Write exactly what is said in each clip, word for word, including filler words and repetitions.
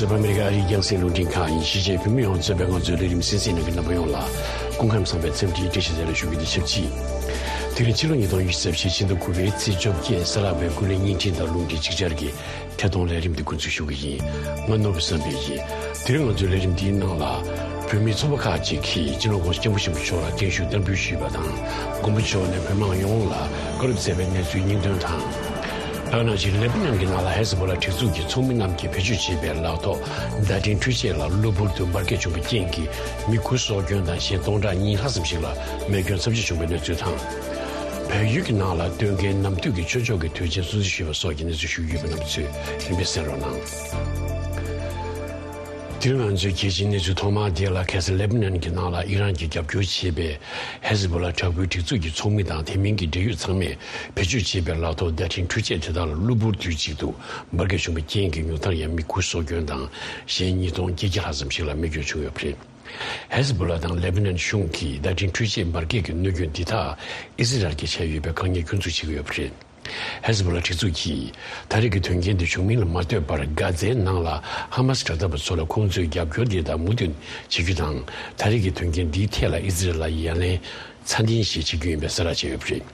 བོད་ཨ་མེ་རི་ཀ་ཨ་རིའི་རྒྱང་སྲིང་རླུང་འཕྲིན་ཁང་ཡིན། གཞིས་བྱེས་བོད་མི་ཡོངས་གཙོས་པའི་ང་ཚོའི་ལས་རིམ་གསན་གཟིགས་གནང་མཁན་རྣམ་པ་ཡོངས་ལ་སྐུ་ཁམས་བཟང་པའི་འཚམས་འདྲིའི་བཀྲ་ཤིས་བདེ་ལེགས་ཞུ་རྒྱུ་དེ་ཆབས་ཅིག་དེ་རིང་ཕྱི་ལོ་ཉིས་སྟོང་ཉི་ཤུ་རྩ་བཞི་ཕྱི་ཟླ་དགུ་པའི་ཚེས་བཅོ་བརྒྱད་གཟའ་ལྷག་པའི་ཀུན་གླེང་བརྙན་འཕྲིན་དང་རླུང་འཕྲིན་ཅིག་ཅར་གྱི་ཐད་གཏོང་ལས་རིམ་འདི་འགོ་འཛུགས་ཞུ་གི་ཡིན། ང་ནོར་བུ་བསམ་འཕེལ་ཡིན། དེ་རིང་ང་ཚོའི་ལས་རིམ་འདིའི་ནང་ལ་བོད་མིའི་ཚོགས་པ་ཁག་ཅིག་གིས་སྤྱི་ནོར་༸གོང་ས་༸སྐྱབས་མགོན་ཆེན་པོ་མཆོག་ལ་བརྟན་བཞུགས་བསྟར་འབུལ་ཞུས་པ་དང་། མགོན་པོ་མཆོག་ནས་བོད་དམངས་ཡོངས་ལ་བཀའ་སློབ་སྩལ་བའི་གནས་ཚུལ་སྙིང་དོན་དང་། ད་ག་ནང་བཞིན་ལེ་པ་ནན་གྱི་ནང་ལ་ཧེ་ཟི་བྷོ་ལ་སྒྲིག་འཛུགས་ཀྱི་ཚོགས་མི་རྣམས་ཀྱིས་བེད་སྤྱོད་བྱས་པའི་ལག་ཐོགས་བརྡ་འཕྲིན་འཕྲུལ་ཆས་ལ་གློ་བུར་དུ་འབར་གས་བྱུང་བའི་རྐྱེན་གྱིས་མི་དགུ་སྲོག་སྐྱོན་དང་གཞན་སྟོང་ཕྲག་གཉིས་ལྷག་ཙམ་ཞིག་ལ་རྨས་སྐྱོན་ཚབས་ཆེ་བྱུང་བའི་གནས་ཚུལ་དང་། བལ་ཡུལ་གྱི་ནང་ལ་སྟོན་ཁའི་གནམ་བདུད་ཀྱི་ཆོས་ཕྱོགས་ཀྱི་དུས་ཆེན་སྲུང་བརྩི་ཞུས་པ་སོགས་ཀྱི་གནས་ཚུལ་ཞུ་རྒྱུ་ཡོད་པ་རྣམས་ཚོས་རིམ་པས་གསན་རོགས་གནང་། དེ་རིང་ང་ཚོའི་གལ་ཆེའི་གནས་ཚུལ་ཐོག་མ་དེ་ལ། ཁ་སང་ལེ་པ་ནན་གྱི་ནང་ལ་ཨི་རན་གྱིས་རྒྱབ་སྐྱོར་བྱེད་པའི་ཧེ་ཟི་བྷོ་ལ་དྲག་པོའི་སྒྲིག་འཛུགས་ཀྱི་ཚོགས་མི་དང་དེ་མིན་གྱི་འབྲེལ་ཡོད་ཚང་མས་བེད་སྤྱོད་བྱས་པའི་ལག་ཐོགས་བརྡ་འཕྲིན་འཕྲུལ་ཆས་དེ་དག་ལ་གློ་བུར་དུས་གཅིག་ཏུ་འབར་གས་བྱུང་བའི་རྐྱེན་གྱིས་ཉུང་མཐར་ཡང་མི་དགུ་སྲོག་སྐྱོན་དང་གཞན་ཉིས་སྟོང་བརྒྱད་བརྒྱ་ལྷག་ཙམ་ཞིག་ལ་རྨས་སྐྱོན་བྱུང་ཡོད་པ་རེད། ཧེ་ཟི་བྷོ་ལ་དང་ལེ་པ་ནན་གཞུང་གིས་བརྡ་འཕྲིན་འཕྲུལ་ཆས་འབར་གས་ཀྱི་གནོད་སྐྱོན་འདི་དག་ཨི་ཟི་རལ་གྱིས་བྱས་ཡོད་པའི་དཀའ་ངལ་སྐྱོན་འཛུགས་བྱེད་ཀྱི་ཡོད་པ་རེད། ཧེ་ཟི་བྷོ་ལ་སྒྲིག་འཛུགས་ཀྱིས་ད་རེས་ཀྱི་དོན་རྐྱེན་འདི་བྱུང་མིན་ལ་མ་ལྟོས་པར། གྷ་ཛའི་ནང་ལ་ཧ་མ་སི་དྲག་འཐབ་པ་ཚོ་ལ་ཁོང་ཚོའི་རྒྱབ་སྐྱོར་འདི་དག་མུ་མཐུད་བྱེད་རྒྱུ་དང་། ད་རེས་ཀྱི་དོན་རྐྱེན་འདིའི་ཐད་ལ་ཨི་ཟི་རལ་ལ་ཡ་ལན་ཚད་ལྡན་ཞིག་བྱེད་རྒྱུ་ཡིན་པའི་གསལ་བསྒྲགས་བྱས་ཡོད་པ་རེད།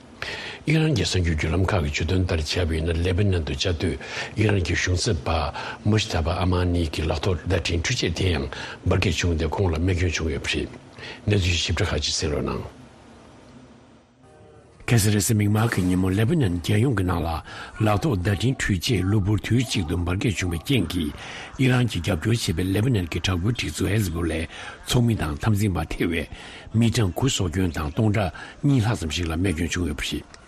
ཨི་རན་གྱི་གསར་འགྱུར་བརྒྱུད་ལམ་ཁག་གིས་བརྗོད་དོན་ལྟར་བྱས་པ་ཡིན་ན། ལེ་པ་ནན་དུ་བཅའ་སྡོད་ཨི་རན་གྱི་གཞུང་ཚབ་པ་མུ་ཤི་ཐ་བྷ་ཨ་མ་ནི་གི་ལག་ཐོགས་བརྡ་འཕྲིན་འཕྲུལ་ཆས་དེ་ཡང་འབར་གས་བྱུང་སྟེ་ཁོང་ལ་རྨས་སྐྱོན་བྱུང་ཡོད་པ་རེད། གནས་ཚུལ་ཞིབ་ཕྲ་ཁག་ཅིག་གསན་རོགས་གནང་། ཁ་སང་རེས་གཟའ་མིག་དམར་གྱི་ཉིན་མོ་ལེ་པ་ནན་རྒྱལ་ཡོངས་ཀྱི་ནང་ལ་ལག་ཐོགས་བརྡ་འཕྲིན་འཕྲུལ་ཆས་གློ་བུར་དུས་གཅིག་ཏུ་འབར་གས་བྱུང་བའི་རྐྱེན་གྱིས། ཨི་རན་གྱིས་རྒྱབ་སྐྱོར་བྱེད་པའི་ལེ་པ་ནན་གྱི་དྲག་པོའི་སྒྲིག་འཛུགས་ཧེ་ཟི་བྷོ་ལའི་ཚོགས་མི་དང་འཐབ་འཛིང་པ་ཐེ་བའི་མི་གྲངས་དགུ་སྲོག་སྐྱོན་དང་སྟོང་ཕྲག་གཉིས་ལྷག་ཙམ་ཞིག་ལ་རྨས་སྐྱོན་བྱུང་ཡོད་པ་རེད།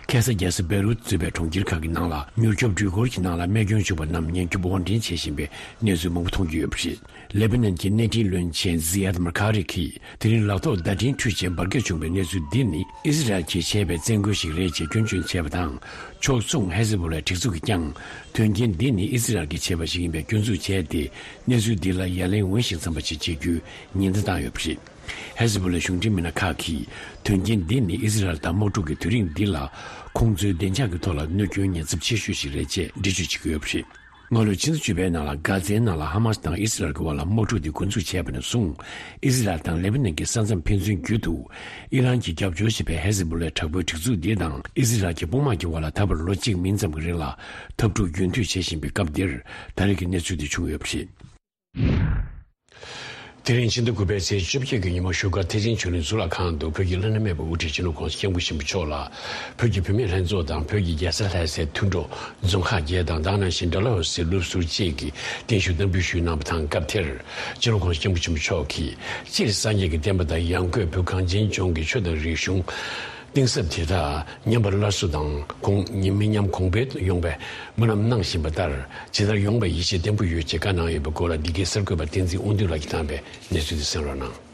ཁ་སང་རྒྱལ་ས་བེ་རུད་གཙོས་པའི་གྲོང་ཁྱེར་ཁག་གི་ནང་ལ་མྱུར་སྐྱོབ་འགྲུལ་འཁོར་གྱི་ནང་ལ་རྨས་སྐྱོན་བྱུང་བ་རྣམས་ཉེན་སྐྱོབ་དབོར་འདྲེན་བྱེད་བཞིན་པའི་གནས་ཚུལ་མང་པོ་མཐོང་རྒྱུ་ཡོད་པ་རེད། ལེ་པ་ནན་གྱི་གནས་འཕྲིན་བློན་ཆེན་ཟི་ཡད་མར་ཁ་རི་གིས། དེ་རིང་ལག་ཐོགས་བརྡ་འཕྲིན་འཕྲུལ་ཆས་འབར་གས་བྱུང་བའི་གནས་ཚུལ་འདི་ནི་ཨི་ཟི་རལ་གྱིས་བྱས་པའི་བཙན་རྒོལ་ཞིག་རེད་ཅེས་སྐྱོན་བརྗོད་བྱས་པ་དང་། ཕྱོགས་མཚུངས་ཧེ་ཟི་བྷོ་ལའི་སྒྲིག་འཛུགས་ཀྱིས་ཀྱང་། དོན་རྐྱེན་འདི་ནི་ཨི་ཟི་རལ་གྱིས་བྱས་པ་ཞིག་ཡིན་པའི་སྐྱོན་འཛུགས་བྱས་ཏེ། གནས་ཚུལ་འདི་ལ་ཡ་ལན་འོས་ཤིང་འཚམ་པ་ཞིག་བྱེད་རྒྱུའི་ཉེན་བརྡ་བཏང་ཡོད་པ་རེད། ཧེ་ཟི་བྷོ་ལའི་གཞུང་འབྲེལ་མི་སྣ་ཁག་གིས། དོན་རྐྱེན་འདི་ནི་ཨི་ཟི་རལ་དང་དམག་འཁྲུག་གི་དུས་རིང་འདི་ལ། ཁོང་ཚོའི་བདེ་འཇགས་ཀྱི་ཐོག་ལ་གནོད་སྐྱོན་ཉེན་ཚབས་ཆེ་ཤོས་ཤིག་རེད་ཅེས་འགྲེལ་བརྗོད་བྱེད་ཀྱི་ཡོད་པ་རེད། སྔ་ལོའི་ཕྱི་ཟླ་བཅུ་པའི་ནང་ལ་གྷ་ཛའི་ནང་ལ་ཧ་མ་སི་དང་ཨི་སི་རལ་གྱི་དབར་ལ་དམག་འཁྲུག་དེ་འགོ་འཛུགས་བྱས་པ་ནས་བཟུང་། ཨི་སི་རལ་དང་ལེ་བྷ་ནན་གྱི་ས་མཚམས་ཕན་ཚུན་བརྒྱུད་དུ། ཨི་རན་གྱིས་རྒྱབ་སྐྱོར་བྱེད་པའི་ཧེ་ཟི་བྷོ་ལའི་དྲག་པོའི་སྒྲིག་འཛུགས་འདི་དང་ཨི་སི་རལ་གྱི་དཔུང་དམག་གྱི་དབར་ལ་ད་བར་ལོ་གཅིག་མིན་ཙམ་གྱི་རིང་ལ་འཐབ་འཁྲུག་རྒྱུན་མཐུད་བྱེད་བཞིན་པའི་སྐབས་འདིར། ད་རེས་ཀྱི་གནས་ཚུལ་འདི་བྱུང་ཡོད་པ་རེད། དེ་རིང་ཕྱི་ཟླ་དགུ་པའི་ཚེས་བཅོ་བརྒྱད་ཀྱི་ཉིན་མོ་བཞུགས་སྒར་ཐེག་ཆེན་ཆོས་གླིང་གཙུག་ལག་ཁང་དུ་བོད་ཀྱི་བླ་ན་མེད་པའི་དབུ་ཁྲིད་སྤྱི་ནོར་༸གོང་ས་༸སྐྱབས་མགོན་ཆེན་པོ་མཆོག་ལ། བོད་ཀྱི་བུད་མེད་ལྷན་ཚོགས་དང་བོད་ཀྱི་རྒྱལ་ས་ལྷ་སའི་མཐུན་གྲོགས་རྫོང་ཁག་བརྒྱད་དང་། ད་ག་ནང་བཞིན་ཌལ་ཧོ་སི་སློབ་ཟུར་བཅས་ཀྱིས་བརྟན་བཞུགས་བསྟར་འབུལ་ཞུས་གནང་བ་དང་། སྐབས་དེར་སྤྱི་ནོར་༸གོང་ས་༸སྐྱབས་མགོན་ཆེན་པོ་མཆོག་གིས། སྤྱིར་སངས་རྒྱས་ཀྱི་བསྟན་པ་དང་ཡང་སྒོས་བོད་གངས་ཅན་ལྗོངས་ཀྱི་ཆོས་དང་རིག་གཞུང་གཏིང་ཟབ་དེ་དག་ཉམས་པ་སླར་གསོ་དང་། གོང་མི་ཉམས་གོང་འཕེལ་ཡོང་བའི་སྨོན་ལམ་གནང་བཞིན་པ་ལྟར། ཇི་ལྟར་ཡོང་བའི་ཡིད་ཆེས་བརྟན་པོ་ཡོད་ཅེས་བཀའ་གནང་ཡོད་པའི་སྐོར་ལ། འདི་གའི་གསར་འགོད་པ་བསྟན་འཛིན་དབང་འདུས་ལགས་ཀྱིས་བཏང་བའི་གནས་ཚུལ་དེ་གསན་རོགས་གནང་།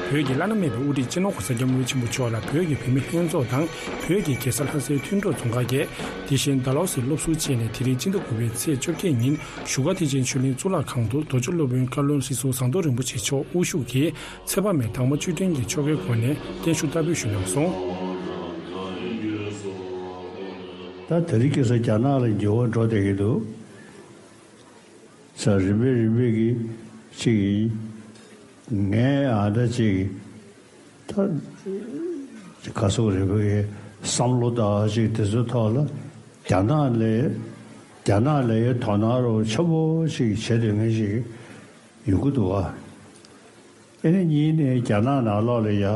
བོད་ཀྱི་བླ་ན་མེད་པའི་དབུ་ཁྲིད་སྤྱི་ནོར་༸གོང་ས་༸སྐྱབས་མགོན་ཆེན་པོ་མཆོག་ལ་བོད་ཀྱི་བུད་མེད་ལྷན་ཚོགས་དང་། བོད་ཀྱི་རྒྱལ་ས་ལྷ་སའི་མཐུན་གྲོགས་རྫོང་ཁག་བརྒྱད། དེ་བཞིན་ཌལ་ཧོ་སི་སློབ་ཟུར་བཅས་ནས། དེ་རིང་ཕྱི་ཟླ་དགུ་པའི་ཚེས་བཅོ་བརྒྱད་ཉིན་བཞུགས་སྒར་ཐེག་ཆེན་ཆོས་གླིང་གཙུག་ལག་ཁང་དུ་རྡོ་རྗེ་སློབ་དཔོན་བཀའ་བློན་ཁྲི་ཟུར་ཟམ་གདོང་རིན་པོ་ཆེ་མཆོག་དབུ་བཞུགས་ཀྱིས་ཚེས་པ་མའི་དྭངས་མ་བཅུད་ལྡན་གྱི་ཆོ་གའི་སྒོ་ནས་བརྟན་བཞུགས་བསྟར་འབུལ་ཞུས་གནང་སོང་། ད་དེ་རིང་ཁ་སང་རྒྱ་ནག་ལ་འགྱུར་བ་འགྲོ་བསྡད་ཀྱི་འདུག་ས་རིམ་པས་རིམ་པས་ཀྱི་ཅིག་ཡིན། ངས་ཨ་འདྲ་ཅིག་ད་ག་སོག་རིམ་པས་ཀྱི་བསམ་བློ་དང་ཅིག་དེ་ཚོའི་ཐོག་ལ་རྒྱ་ནག་ལས་རྒྱ་ནག་ལས་དོ་སྣང་རོགས་ཆེན་པོ་ཅིག་བྱེད་འདོད་མཁན་ཞིག་ཡོང་གི་འདུག་ཨ། ཨེ་ནི་གཉིས་ནས་རྒྱ་ནག་ནང་ལོགས་ལ་ཡ་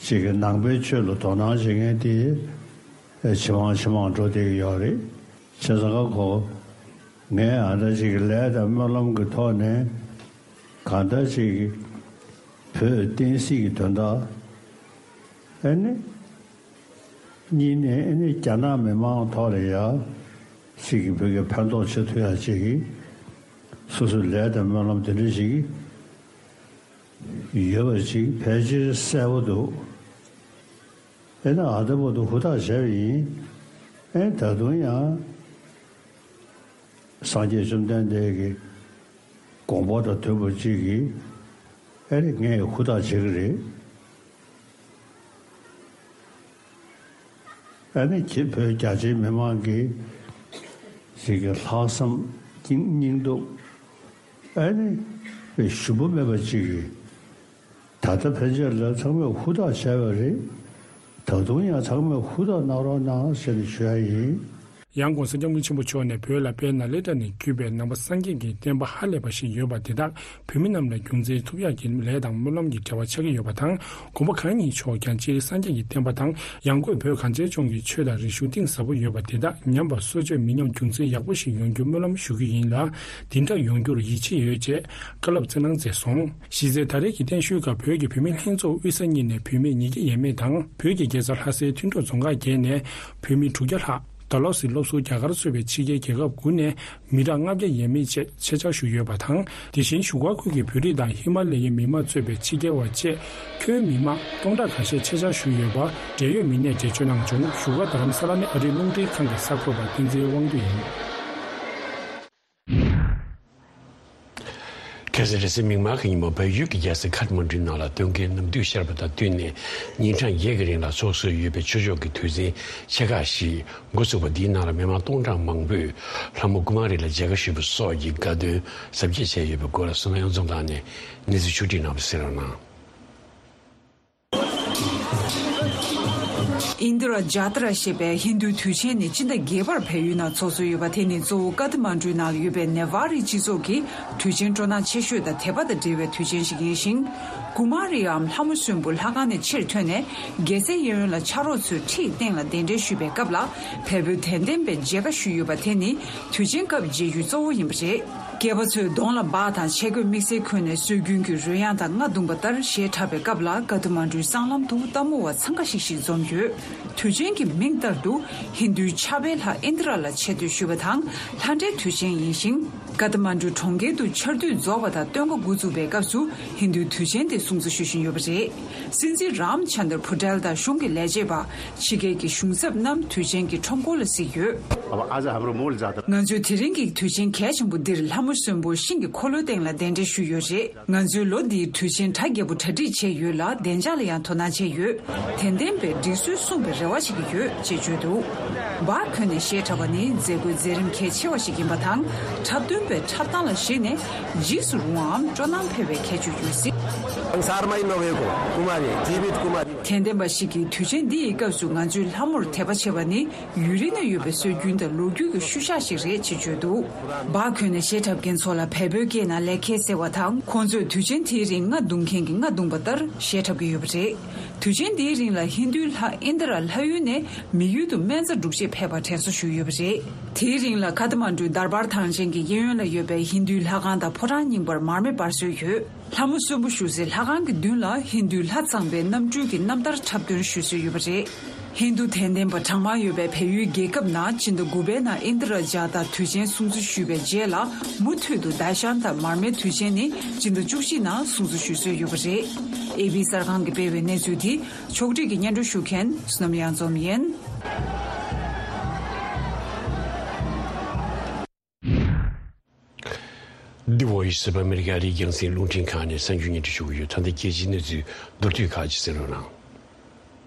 ཅིག་གི་ནང་པའི་ཆོས་ལ་དོ་སྣང་བྱེད་མཁན་དེ་ཇེ་མང་ཇེ་མང་འགྲོ་བསྡད་ཀྱི་ཡོད་རེད། བྱས་ཙང་ཁ་ཁོ་ངས་ཨ་འདྲ་ཅིག་གི་ལས་དང་སྨོན་ལམ་གྱི་ཐོག་ནས་གང་ལྟར་ཅིག་གི་བོད་བསྟན་སྲིད་ཀྱི་དོན་དག་ཨེ་ནི། གཉིས་ནས་ཨེ་ནི་རྒྱ་ནག་མི་མང་ཐོག་ལ་ཡ་ཅིག་གི་བོད་ཀྱི་ཕན་ཐོགས་བྱེད་ཐུབ་ཡ་ཅིག་གི་སོ་སོའི་ལས་དང་སྨོན་ལམ་དེ་འདྲ་ཞིག་ཡོད་པ་ཅིག་ཕལ་ཆེར་གསལ་པོ་འདུག་ཨེ་ནི་ཨ་ད་བར་དུ་ཧུར་ཐག་བྱས་པ་ཡིན། ཨེ་ད་དུང་ཡང་སངས་རྒྱས་བཅོམ་ལྡན་འདས་ཀྱི་དགོངས་པ་དང་མཐུན་པ་ཅིག་གིས་ཨེ་ནི་ངས་ཧུར་ཐག་བྱེད་ཀྱི་རེད། ཨ་ནི་ཁྱེད་བོད་རྒྱ་ཆེའི་མི་མང་གི་ཞིག་གི་ལྷག་བསམ་སྙིང་སྙིང་སྟོབས། ཨ་ནི་ཞུམ་པ་མེད་པ་ཅིག་གིས། ད་ལྟ་ཕན་ཆད་ལ་ཚང་མས་ཧུར་ཐག་བྱས་པ་རེད། ད་དུང་ཡང་ཚང་མས་ཧུར་ཐག་གནང་རོགས་གནང་ཟེར་ནས་ཞུ་ཡ་ཡིན། ཡང་༸གོང་ས་༸སྐྱབས་མགོན་ཆེན་པོ་མཆོག་ནས་བོད་ལ་དཔལ་ནཱ་ལེནྡྲ་ནས་བརྒྱུད་པའི་ནང་པ་སངས་རྒྱས་ཀྱི་བསྟན་པ་ཧ་ལས་པ་ཞིག་ཡོད་པ་དེ་དག་བོད་མི་རྣམས་ལ་རྒྱུ་མཚན་ཐོབ་ཡག་གི་ལས་དང་སྨོན་ལམ་གྱི་འབྲེལ་བ་ཆགས་ཀྱི་ཡོད་པ་དང་། དགོངས་པ་གང་ཡིན་ཆོག་ཀྱང་སྤྱིར་སངས་རྒྱས་ཀྱི་བསྟན་པ་དང་ཡང་སྒོས་བོད་གངས་ཅན་ལྗོངས་ཀྱི་ཆོས་དང་རིག་གཞུང་གཏིང་ཟབ་པོ་ཡོད་པ་དེ་དག་ཉམས་པ་སོར་ཆུད་མི་ཉམས་རྒྱུ་མཚན་ཡག་པོ་ཞིག་ཡོང་རྒྱུ་སྨོན་ལམ་ཞུ་གི་ཡིན་ལ། དེ་འདྲ་ཡོང་རྒྱུར་ཡིད་ཆེས་ཡོད་ཅེས་བཀའ་སློབ་སྩལ་གནང་མཛད་སོང་། གཞི་རྩའི་ད་རེས་ཀྱི་བརྟན་བཞུགས་སྐབས་བོད་ཀྱི་བུད་མེད་ལྷན་ཚོགས་དབུས་ས་གཉིས་ནས་བུད་མེད་ཉིས་བརྒྱ་ཡས་མས་དང་བོད་ཀྱི་རྒྱལ་ས་ལྷ་སའི་མཐུན་གྲོགས་རྫོང་ཁག་བརྒྱད་ནས་བུད་མེད་དྲུག་བརྒྱ་ལྷག་ཌལ་ཧོ་སི་སློབ་ཟུར་རྒྱ་གར་གཙོས་པའི་ཕྱི་རྒྱལ་རྒྱལ་ཁབ་དགུ་ནས་མི་གྲངས་ལྔ་བརྒྱ་ཡས་མས་བཅས་ཆེད་བཅར་ཞུས་ཡོད་པ་དང་། དེ་བཞིན་བཞུགས་སྒར་ཁུལ་གྱི་བོད་རིགས་དང་ཧི་མ་ལ་ཡའི་མི་མང་གཙོས་པའི་ཕྱི་རྒྱལ་བ་བཅས་ཁྱོན་མི་མང་སྟོང་ཕྲག་ཁ་ཤས་ཆེད་བཅར་ཞུས་ཡོད་པ་འབྲེལ་ཡོད་མི་སྣས་འགྲེལ་བརྗོད་གནང་བྱུང་། བཞུགས་སྒར་རྡ་རམ་ས་ལ་ནས་ཨ་རིའི་རླུང་འཕྲིན་ཁང་གི་གསར་འགོད་པ་བསྟན་འཛིན་དབང་འདུས་ཡིན། ཁ་སང་རེས་གཟའ་མིག་དམར་གྱི་ཉིན་མོ་བལ་ཡུལ་གྱི་རྒྱལ་ས་ཁ་ཐ་མན་གྲུའི་ནང་ལ་སྟོན་ཁའི་ནམ་དུས་ཤར་བ་དང་བསྟུན་ནས་ཉིན་གྲངས་བརྒྱད་ཀྱི་རིང་ལ་ཚོགས་སྲོལ་ཡོད་པའི་ཆོས་ཕྱོགས་ཀྱི་དུས་ཆེན་ཆེ་ཁག་ཞིག་འགོ་ཚུགས་པ་འདིའི་ནང་ལ་མི་མང་སྟོང་ཕྲག་མང་པོས་ལྷ་མོ་ཀུ་མ་རི་ལ་མཇལ་ཁ་ཞུས་པ་སོགས་ཀྱི་དགའ་སྟོན་གཟབ་རྒྱས་བྱས་ཡོད་པའི་སྐོར་བསོད་ནམས་གཡུ་རྫོང་ལགས་ནས་གནས་ཚུལ་ཕྱོགས་བསྒྲིགས་གནང་བ་གསན་རོགས་གནང་། ཨིན་དི་ར་ཇཱ་ཏ་ར་ཞེས་པའི་ཧིན་རྡུའི་དུས་ཆེན་ནི་སྤྱི་ཟླ་བརྒྱད་པར་བལ་ཡུལ་ནང་འཚོགས་སྲོལ་ཡོད་པ་དེ་ནི་གཙོ་བོ་ཀ་ཐ་མན་གྲུའི་ནང་ལ་ཡོད་པའི་ནེ་ཝཱ་རིའི་སྤྱི་ཚོགས་ཀྱི་དུས་ཆེན་སྤྲོ་སྣང་ཆེ་ཤོས་དང་དད་པ་དང་འབྲེལ་བའི་དུས་ཆེན་ཞིག་ཡིན་ཞིང་། ཀུ་མཱ་རིའམ་ལྷ་མོ་གསོན་པོ་ལྷ་ཁང་ནས་ཕྱིར་ཐོན་ནས་རྒྱལ་སའི་གཡས་གཡོན་ལ་ཕྱག་རོགས་ཚོས་ཁྲིའི་སྟེང་ལ་གདན་འདྲེན་ཞུས་པའི་སྐབས་ལ་བལ་པོའི་དད་ལྡན་པས་མཇལ་ཁ་ཞུས་ཡོད་པ་དེ་ནི་དུས་ཆེན་སྐབས་མཇལ་རྒྱུའི་གཙོ་བོ་ཡིན་པ་རེད། སྐྱེས་པ་ཚོས་གདོང་ལ་འབག་དང་ཆས་གོས་དམིགས་བསལ་གོན་ནས་སྲོལ་རྒྱུན་གྱི་རོལ་དབྱངས་དང་རྔ་བརྡུངས་པ་ལྟར་གཞས་འཁྲབ་པའི་སྐབས་ལ་ཀ་ཐ་མན་གྲུའི་སྲང་ལམ་དུ་ལྟད་མོ་བ་འཚང་ཁ་ཤིག་ཤིག་འཛོམས་ཡོད། དུས་ཆེན་གྱི་མིང་ལྟར་དུ་ཧིན་རྡུའི་ཕྱག་དཔེ་ལྷ་ཨིན་དྲ་ལ་ཆེ་བསྟོད་ཞུ་བ་དང་ལྷ་འདྲེའི་དུས་ཆེན་ཡིན་ཞིང་། ཀ་ཐ་མན་གྲུ་གྲོང་ཁྱེར་དུ་ཆར་དུས་རྫོགས་པ་དང་སྟོན་ཁ་འགོ་བཙུགས་པའི་སྐབས་སུ་ཧིན་རྡུའི་དུས་ཆེན་དེ་སྲུང་བརྩི་ཞུ་བཞིན་ཡོད་པ་རེད། སྲིད་འཛིན་རམ་ཆན་དར་ཕུ་ཏེལ་དང་གཞུང་གི་ལས་བྱེད་པ། ཕྱི་རྒྱལ་གྱི་གཞུང་ཚབ་རྣམས་དུས་ཆེན་གྱི་ཁྲོམ་སྐོར་ལ་གཟིགས་ཡོད། अब आज हाम्रो मूल जात्रा ང་ཚོས་དེ་རིང་གི་དུས་ཆེན་གལ་ཆེན་པོ་འདིར་ལྷ་མོ་གསོན་པོ་ཤིང་གི་འཁོར་ལོའི་སྟེང་ལ་གདན་འདྲེན་ཞུས་ཡོད་རེད། ང་ཚོས་ལོ་འདིའི་དུས་ཆེན་གྲ་རྒྱས་པོ་གྲ་སྒྲིག་བྱས་ཡོད་ལ་བདེ་འཇགས་ལ་ཡང་དོ་སྣང་བྱས་ཡོད། དད་ལྡན་པས་སྒྲིག་སྲོལ་སྲུང་བའི་རེ་བ་བྱེད་ཀྱི་ཡོད་ཅེས་བརྗོད་འདུག་འབག་གོན་ནས་གཞས་འཁྲབ་པ་ནི་མཛད་སྒོའི་མཛད་རིམ་གལ་ཆེ་བ་ཞིག་ཡིན་པ་དང་འཁྲབ་སྟོན་པའི་འཁྲབ་སྟངས་ལ་གཞིགས་ནས་འཇིགས་སུ་རུང་བའམ་སྤྲོ་སྣང་འཕེལ་བའི་ཁྱད་ཆོས་ཡོད་སྲིད། Sārmai Noveko Kumari, Jivit Kumari. དད་ལྡན་པ་ཞིག་གིས་དུས་ཆེན་འདི་ཡི་སྐབས་སུ་ང་ཚོའི་ལྷ་མོར་དད་པ་བྱེད་པ་ནི་ཡུན་རིང་ནས་ཡོད་པའི་སྲོལ་རྒྱུན་དང་ལོ་རྒྱུས་ཀྱི་ཤུལ་བཞག་ཞིག་རེད་ཅེས་བརྗོད་འདུག་འབག་གོན་ནས་གཞས་འཁྲབ་མཁན་ཚོ་ལ་བལ་པོའི་སྐད་ནང་ལེ་ཁེ་ཟེར་བ་དང་ཁོང་ཚོས་དུས་ཆེན་དེའི་རིང་རྔ་བརྡུང་མཁན་གྱིས་རྔ་བརྡུངས་པ་ལྟར་གཞས་འཁྲབ་ཀྱི་ཡོད་པ་རེད། དུས་ཆེན་འདིའི་རིང་ལ་ཧིན་རྡུའི་ལྷ་ཨིན་དྲ་ལྷ་ཡུལ་ནས་མི་ཡུལ་དུ་སྨན་རྩྭ་སྒྲུག་ཆེད་ཕེབས་པར་དྲན་གསོ་ཞུས་ཡོད་པ་རེད། དེའི་རིང་ལ་ཀ་ཐ་མན་གྲུའི་དར་བར་ཐང་ཆེན་གྱི་གཡས་གཡོན་ལ་ཡོད་པའི་ཧིན་རྡུའི་ལྷ་ཁང་དང་ཕོ་བྲང་རྙིང་པར་མར་མེ་སྤར་སྲོལ་ཡོད། ལྷ་མོ་གསོན་པོ་བཞུགས་སའི་ལྷ་ཁང་གི་མདུན་ལ་ཧིན་རྡུའི་ལྷ་གཙང་པའི་གནམ་གྲུའི་གི་རྣམ་ཐར་འཁྲབ་སྟོན་ཞུ་སྲོལ་ཡོད་པ་རེད། ཧིན་རྡུ་དད་ལྡན་པ་གྲངས་མང་ཡོད་པའི་བལ་ཡུལ་རྒྱལ་ཁབ་ནང་སྤྱི་ཟླ་དགུ་པའི་ནང་ཨིན་དྲ་ཇཱ་ཏ་དུས་ཆེན་སྲུང་བརྩི་ཞུས་པའི་རྗེས་ལ་མུ་མཐུད་དུ་ཟླ་ཤང་དང་མར་མེའི་དུས་ཆེན་ནི་སྤྱི་ཟླ་བཅུ་གཅིག་ནང་སྲུང་བརྩི་ཞུ་སྲོལ་ཡོད་པ་རེད། ཨེ་བྷི་གསར་ཁང་གིས་སྤེལ་བའི་གནས་ཚུལ་དེ་ཕྱོགས་སྒྲིག་གིས་སྙན་སྒྲོན་ཞུ་མཁན་བསོད་ནམས་གཡུ་རྫོང་ཡིན། The Voice of America ཨ་རིའི་རྒྱང་སྲིང་རླུང་འཕྲིན་ཁང་ནས་གསར་འགྱུར་སྙན་སྒྲོན་ཞུ་གི་ཡོད། ད་ལྟ་རྒྱལ་སྤྱིའི་གནས་ཚུལ་མདོར་བསྡུས་ཁག་ཅིག་གསན་རོགས་གནང་།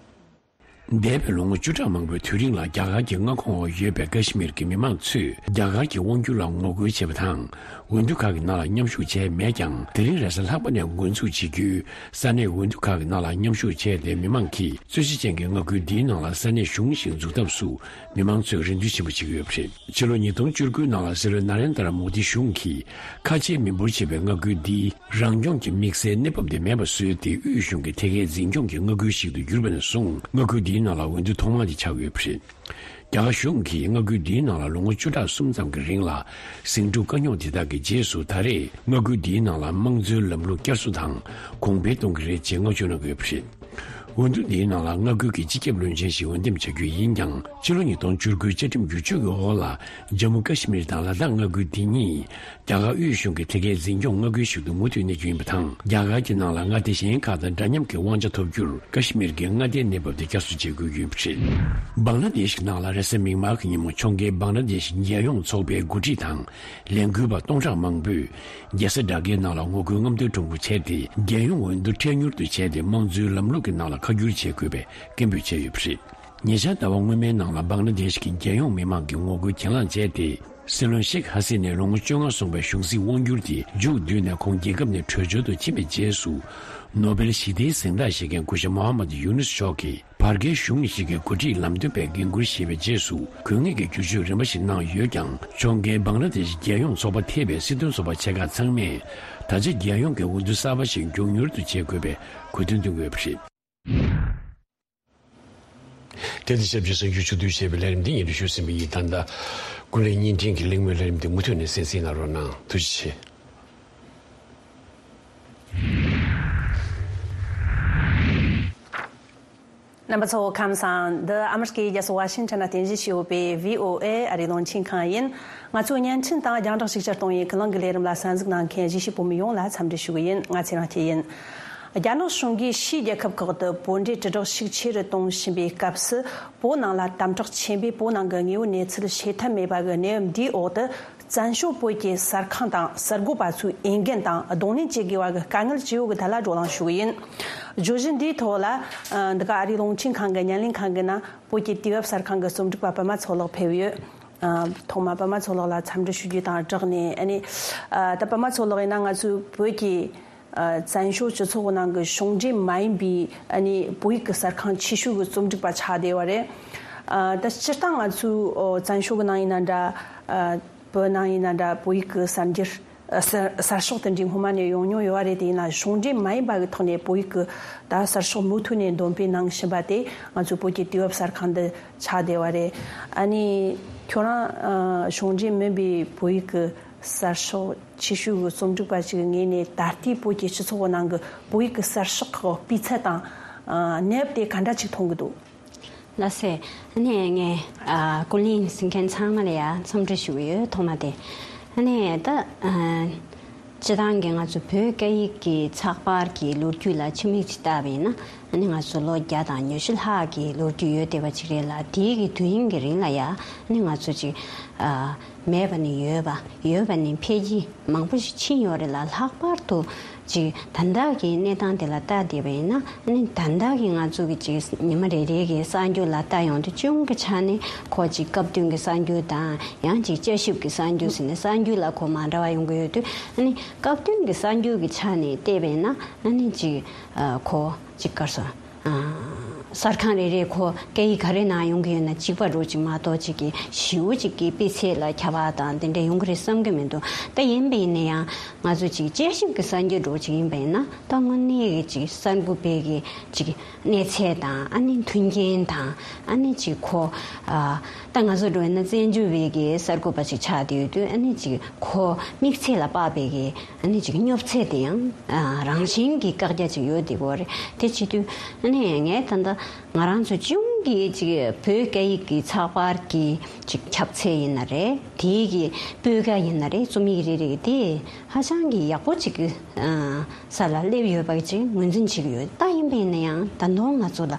འདས་པའི་ལོ་ངོ་བཅུ་ཕྲག་མང་པོའི་དུས་རིང་ལ་རྒྱ་གར་གྱི་མངའ་ཁོངས་འོག་ཡོད་པའི་ཀ་ཤི་མིར་གྱི་མི་མང་ཚོས་རྒྱ་གར་གྱི་དབང་སྒྱུར་ལ་ངོ་རྒོལ་བྱས་པ་དང་། འོས་བསྡུ་ཁག་གི་ནང་ལ་མཉམ་ཞུགས་བྱས་མེད་ཀྱང་། དེ་རིང་རེས་གཟའ་ལྷག་པ་ནས་འགོ་འཛུགས་བྱེད་རྒྱུའི་ས་གནས་འོས་བསྡུ་ཁག་གི་ནང་ལ་མཉམ་ཞུགས་བྱས་ཏེ། མི་མང་གིས་རྩོད་གཞི་ཅན་གྱི་མངའ་ཁུལ་འདིའི་ནང་ལ་ས་གནས་གཞུང་ཞིག་འཛུགས་ཐབས་སུ་མི་མང་ཚོས་རེ་འདུན་ཆེན་པོ་བྱེད་ཀྱི་ཡོད་པ་རེད། ཕྱི་ལོ་ཉིས་སྟོང་བཅུ་དགུ་ནང་ལ་སྲིད་བློན་ན་རེན་དར་མོ་དི་གཞུང་གིས་ཁ་ཆེའི་མི་འབོར་ཆེ་བའི་མངའ་ཁུལ་འདིའི་རང་སྐྱོང་གི་དམིགས་བསལ་གནས་བབ་དེ་མེད་པ་བཟོས་ཏེ། དབུས་གཞུང་གི་ཐད་ཀའི་འཛིན་སྐྱོང་གི་མངའ་ཁུལ་ཞིག་ཏུ་གྱུར་པ་ནས་བཟུང་། མངའ་ཁུལ་འདིའི་ནང་ལ་འོས་བསྡུ་ཐོག་མ་དེ་ཆགས་ཡོད་པ་རེད། རྒྱ་གར་གཞུང་གིས་མངའ་ཁུལ་འདིའི་ནང་ལ་ལོ་ངོ་བཅུ་ཕྲག་གསུམ་ཙམ་གྱི་རིང་ལ་ཟིང་འཁྲུག་དཀའ་རྙོག་དེ་དག་གི་རྗེས་སུ། ད་རེས་མངའ་ཁུལ་འདིའི་ནང་ལ་དམངས་གཙོའི་ལམ་ལུགས་བསྐྱར་གསོ་དང་གོང་འཕེལ་གཏོང་གི་རེད་ཅེས་བསྔགས་བརྗོད་གནང་གི་ཡོད་པ་རེད། འོས་བསྡུ་འདིའི་ནང་ལ་མངའ་ཁུལ་གྱི་སྤྱི་ཁྱབ་བློན་ཆེན་ཞིག་འོས་འདེམས་བྱ་རྒྱུ་ཡིན་ཀྱང་། ཕྱི་ལོ་ཉིས་སྟོང་བཅུ་དགུའི་བཅའ་ཁྲིམས་བསྒྱུར་བཅོས་ཀྱི་འོག་ལ་ཇམ་མུ་ཀ་ཤི་མིར་དང་ལ་དྭགས་མངའ་ཁུལ་འདི་གཉིས་རྒྱ་གར་དབུས་གཞུང་གི་ཐད་ཀའི་འཛིན་སྐྱོང་མངའ་ཁུལ་ཞིག་ཏུ་མུ་མཐུད་གནས་རྒྱུ་ཡིན་པ་དང་། རྒྱ་གར་གྱི་ནང་ལ་མངའ་སྡེ་གཞན་ཁག་དང་འདྲ་མཉམ་གྱི་དབང་ཆ་ཐོབ་རྒྱུར་ཀ་ཤི་མིར་གྱི་མངའ་སྡེའི་གནས་བབ་དེ་བསྐྱར་གསོ་བྱེད་དགོས་ཀྱི་ཡོད་པ་རེད། བང་ལ་དེཤ་ནང་ལ་རེས་གཟའ་མིག་དམར་གྱི་ཉིན་མོ་ཕྱོགས་འགལ་བང་ལ་དེཤ་རྒྱལ་ཡོངས་ཚོགས་པའི་འགོ་ཁྲིད་དང་། ལས་འགུལ་བ་སྟོང་ཕྲག་མང་པོས་རྒྱལ་ས་ཌ་ཀའི་ནང་ལ་ངོ་རྒོལ་རྔམ་སྟོན་ཁྲོམ་སྐོར་བྱས་ཏེ། རྒྱལ་ཡོངས་འོས་བསྡུ་འཕྲལ་མྱུར་དུ་བྱས་ཏེ། དམངས་གཙོའི་ལམ་ལུགས་ཀྱི་ནང་ལ་ཁ་བསྒྱུར་བྱེད་དགོས་པའི་སྐད་འབོད་བྱས་ཡོད་པ་རེད། ཉེ་ཆར་ཟླ་བ་སྔོན་མའི་ནང་ལ་བང་ལ་དེཤ་གི་རྒྱལ་ཡོངས་མི་མང་གི་ངོ་རྒོལ་གྱེན་ལངས་བྱས་ཏེ། སྲིད་བློན་ཤེག་ཧ་སི་ནས་ལོ་ངོ་བཅོ་ལྔ་སོང་བའི་གཞུང་སྲིད་དབང་བསྒྱུར་དེ་མཇུག་བསྡུས་ནས་ཁོང་རྒྱལ་ཁབ་ནས་བྲོས་བྱོལ་དུ་ཕྱིན་པའི་རྗེས་སུ། ནོ་བེལ་ཞི་བདེའི་གཟེངས་རྟགས་བཞེས་མཁན་སྐུ་ཞབས་མོ་ཧ་མད་ཡུ་ནུས་མཆོག་གིས་བར་བརྒལ་གཞུང་ཞིག་གི་འགོ་ཁྲིད་ལམ་སྟོན་པའི་འགན་འཁུར་བཞེས་པའི་རྗེས་སུ་དགོས་ངེས་ཀྱི་བསྒྱུར་བཅོས་རིམ་པ་ཞིག་གནང་ཡོད་ཀྱང་། ཕྱོགས་འགལ་བང་ལ་དེཤ་རྒྱལ་ཡོངས་ཚོགས་པ་ཐེ་བའི་སྲིད་དོན་ཚོགས་པ་ཆེ་ཁག་ཚང་མས་ད་ཆ་རྒྱལ་ཡོངས་ཀྱི་འོས་བསྡུ་གསར་པ་ཞིག་མགྱོགས་མྱུར་དུ་བྱེད་དགོས་པའི་གོ་སྟོན་བཏོན་ཡོད་པ་རེད། དེ་དང་ཆབས་ཅིག་གསར་འགྱུར་ཕྱོགས་བསྡུས་བྱས་པའི་ལས་རིམ་འདི་ཉན་ཞུ་ཟིན་པ་ཡིན། ད་ལྟ་ཀུན་གླེང་བརྙན་འཕྲིན་གྱི་གླེང་མོལ་ལས་རིམ་འདི་མུ་མཐུད་ནས་གསན་གཟིགས་གནང་རོགས་གནང་། ཐུགས་རྗེ་ཆེ། རྣམ་པ་ཚོ་ཁམས་བཟང་། འདི་ཨ་མི་རི་ཀའི་རྒྱལ་ས་ཝ་ཤིང་ཊོན་ན་རྟེན་གཞི་བྱས་ཡོད་པའི་བྷི་ཨོ་ཨེ་ཨ་རིའི་རླུང་འཕྲིན་ཁང་ཡིན། ང་ཚོའི་བརྙན་འཕྲིན་དང་རྒྱང་བསྒྲགས་ཤུགས་ཆེར་གཏོང་བའི་ཀུན་གླེང་གི་ལས་རིམ་ལ་གསན་གཟིགས་གནང་མཁན་གཞིས་བྱེས་བོད་མི་ཡོངས་ལ་འཚམས་འདྲི་ཞུ་གི་ཡིན། ང་ཚེ་རིང་སྐྱིད་ཡིན། རྒྱ་ནག་གཞུང་གིས་ཕྱིའི་རྒྱལ་ཁབ་ཁག་ཏུ་བོད་འབྲེལ་དྲིལ་བསྒྲགས་ཤུགས་ཆེ་རུ་གཏོང་བཞིན་པའི་སྐབས་སུ། བོད་ནང་ལ་དམ་དྲག་ཆེན་པོས་བོད་ནང་གི་དངོས་ཡོད་གནས་ཚུལ་ཤེས་ཐབས་མེད་པ་གི་གནས་བབ་འདིའི་འོག་ཏུ། བཙན་བྱོལ་བོད་ཀྱི་གསར་ཁང་དང་གསར་འགོད་པ་ཚོས་འོས་འགན་དང་གདོང་ལེན་བྱེད་དགོས་པ་གི་དཀའ་ངལ་ཇི་ཡོད་ཀྱི་ཐད་ལ་བགྲོ་གླེང་ཞུ་གི་ཡིན། བརྗོད་གཞི་འདིའི་ཐོག་ལ། ཨ། འདི་ག་ཨ་རིའི་རླུང་འཕྲིན་ཁང་གི་བརྙན་ལེན་ཁང་གི་ནང་བོད་ཀྱི་དུས་བབ་གསར་ཁང་གི་རྩོམ་སྒྲིག་པ་པདྨ་མཚོ་ལགས་ཕེབས་ཡོད། ཨ། ཐོག་མར་པདྨ་མཚོ་ལགས་ལ་འཚམས་འདྲི་ཞུ་རྒྱུ་དང་སྦྲགས་ནས། ཨ་ནི། ཨ། ད་པདྨ་མཚོ་ལགས་ཡིན་ན་ང་ཚོའི་བོད་ཀྱི། ཨ། བཙན་བྱོལ་སྤྱི་ཚོགས་ནང་གི་གཞུང་འབྲེལ་མ་ཡིན་པའི། ཨ་ནི། བོད་ཡིག་གི་གསར་ཁང་ཆེ་ཤོས་ཀྱི་རྩོམ་སྒྲིག་པ་ཆགས་བསྡད་ཡོད་རེད། ཨ། ད་སྤྱིར་བཏང་ང་ཚོའི་བཙན་བྱོལ་གྱི་ནང་ཡིན་ན་འདྲ། ཨ། བོད་ནང་ཡིན་ན་འདྲ། བོད་ཡིག་གི་གསར་འགྱུར། ཨ། གསར་གསར་ཤོག་དེ་འདྲའི་སྔོན་མ་ནས་ཡོང་མྱོང་ཡོད་རེད། དེ་ཡིན་ན་གཞུང་འབྲེལ་མ་ཡིན་པ་གི་ཐོག་ནས་བོད་ཡིག་གི་ད་གསར་ཤོག་མུ་མཐུད་ནས་འདོན་སྤེལ་གནང་བཞིན་པ་དེ་ང་ཚོའི་བོད་ཀྱི་དུས་བབ་གསར་ཁང་འདི་ཆགས་བསྡད་ཡོད་རེད། ཨ་ནི་ཁྱོད་རང་། ཨ། གཞུང་འབྲེལ་མིན་པའི་བོད་ཡིག་གི་གསར་ཤོག་ཆེ་ཤོས་ཀྱི་རྩོམ་སྒྲིག་པ་ཞིག་གི་ངོས་ནས་ད་ལྟའི་བོད་ཀྱི་སྤྱི་ཚོགས་ཀྱི་ནང་གི་བོད་ཡིག་གི་གསར་ཤོག་ཁག་གི་སྤུས་ཚད་དང་། ཨ། གནས་བབ་དེ་ག་འདྲ་ཅིག་མཐོང་གི་འདུག་ལགས་སེ། ཨ་ནི་ངས། ཨ། ཀུན་གླེང་གཟིགས་མཁན་ཚང་མ་ལ་ཡ་འཚམས་འདྲི་ཞུ་གི་ཡོད། ཐོག་མ་དེ། ཨ་ནི་ད། ཨ། སྤྱིར་བཏང་གི་ང་ཚོ་བོད་སྐད་ཡིག་གི་ཚགས་པར་གྱི་ལོ་རྒྱུས་ལ་ཕྱི་མིག་ཅིག་བལྟས་པ་ཡིན་ན། ཨ་ནི་ང་ཚོ་ལོ་བརྒྱ་དང་ཉི་ཤུ་ལྷག་གི་ལོ་རྒྱུས་ཡོད་བསྡད་པ་ཅིག་རེད་ལ། དེའི་གི་དུས་ཡུན་གྱི་རིང་ལ་ཡ། ཨ་ནི་ང་ཚོ་ཅིག་ཨ། མེད་པ་ནས་ཡོད་པ། ཡོད་པ་ནས་འཕེལ་རྒྱས་མང་པོ་ཞིག་ཕྱིན་ཡོད་རེད་ལ། ལྷག་པར་དུ་ཅིག་ད་ལྟ་གི་གནས་སྟངས་དེ་ལ་བལྟས་བསྡད་པ་ཡིན་ན། ཨ་ནི་ད་ལྟ་གི་ང་ཚོ་གི་ཅིག་ཉི་མ་རེ་རེ་གི་གསར་འགྱུར་ལ་བལྟ་ཡོང་དུས། གཞུང་གི་ཆ་ནས་ཁོ་ཅིག་སྐབས་བསྟུན་གྱི་གསར་འགྱུར་དང་། ཡང་ཅིག་དཔྱད་ཞིབ་ཀྱི་གསར་འགྱུར་ཟེར་ནས་གསར་འགྱུར་ལ་ཁོ་མ་འདྲ་བ་ཡོང་གི་ཡོད་དུས། ཨ་ནི་སྐབས་བསྟུན་གྱི་གསར་འགྱུར་གྱི་ཆ་ནས་བལྟས་པ་ཡིན་ན། ཨ་ནི་ཅིག་ཨ། ཁོ་ཅིག་ག་རེ་ཟེར། ཨ། གསར་ཁང་རེ་རེ་ཁོ་སྐད་ཡིག་ག་རེ་ནང་ཡོང་གི་ཡོད་ན་གཅིག་པ་འདྲ་ཅིག་མ་གཏོགས། ཅིག་གི་ཞེ་པོ་ཅིག་གི་སྤུས་ཚད་ལ་ཁྱད་པར་དང་དེ་འདྲ་ཡོང་གི་རེད་བསམ་གྱི་མི་འདུག་ད་ཡིན་པ་ཡིན་ན་ཡང་ང་ཚོ་ཅིག་དཔྱད་ཞིབ་ཀྱི་གསར་འགྱུར་འདྲ་ཅིག་ཡིན་པ་ཡིན་ན། ད་དངོས་གནས་ཀྱི་ཅིག་གསར་འགོད་པའི་གི་ཅིག་གནས་ཚད་དང་། ཨ་ནི་མཐུན་རྐྱེན་དང་། ཨ་ནི་ཅིག་ཁོ། ཨ། ད་ང་ཚོ་འདྲ་ཡིན་ན་བཙན་བྱོལ་བའི་གི་གསར་འགོད་པ་ཅིག་ཆགས་བསྡད་ཡོད་དུས། ཨ་ནི་ཅིག་ཁོ་དམིགས་ཚད་ལ་དཔག་པའི་གི། ཨ་ནི་ཅིག་སྙོབ་ཚད་དེ་ཡང་། ཨ། རང་བཞིན་གྱི་བཀག་རྒྱ་ཅིག་ཡོད་བསྡད་ཡོད་རེད། དེ་བྱེད་དུས་ཨ་ནི་ངས་ད་ལྟ་ང་རང་ཚོ་གཞུང་གི་ཅིག་བོད་སྐད་ཡིག་གི་ཚགས་པར་གྱི་ཅིག་ཁྱབ་ཚད་ཡིན་ན་རེད། དེའི་གི་སྤུས་ཀ་ཡིན་ན་རེད། རྩོམ་ཡིག་རེ་རེ་དེ་ཧ་ཅང་གི་ཡག་པོ་ཅིག་གི། ཨ། ས་ལ་སླེབས་ཡོད་པ་ཅིག་ངོས་འཛིན་བྱེད་ཀྱི་ཡོད། ད་ཡིན་པ་ཡིན་ན་ཡང་ད་དུང་ང་ཚོ་ལ་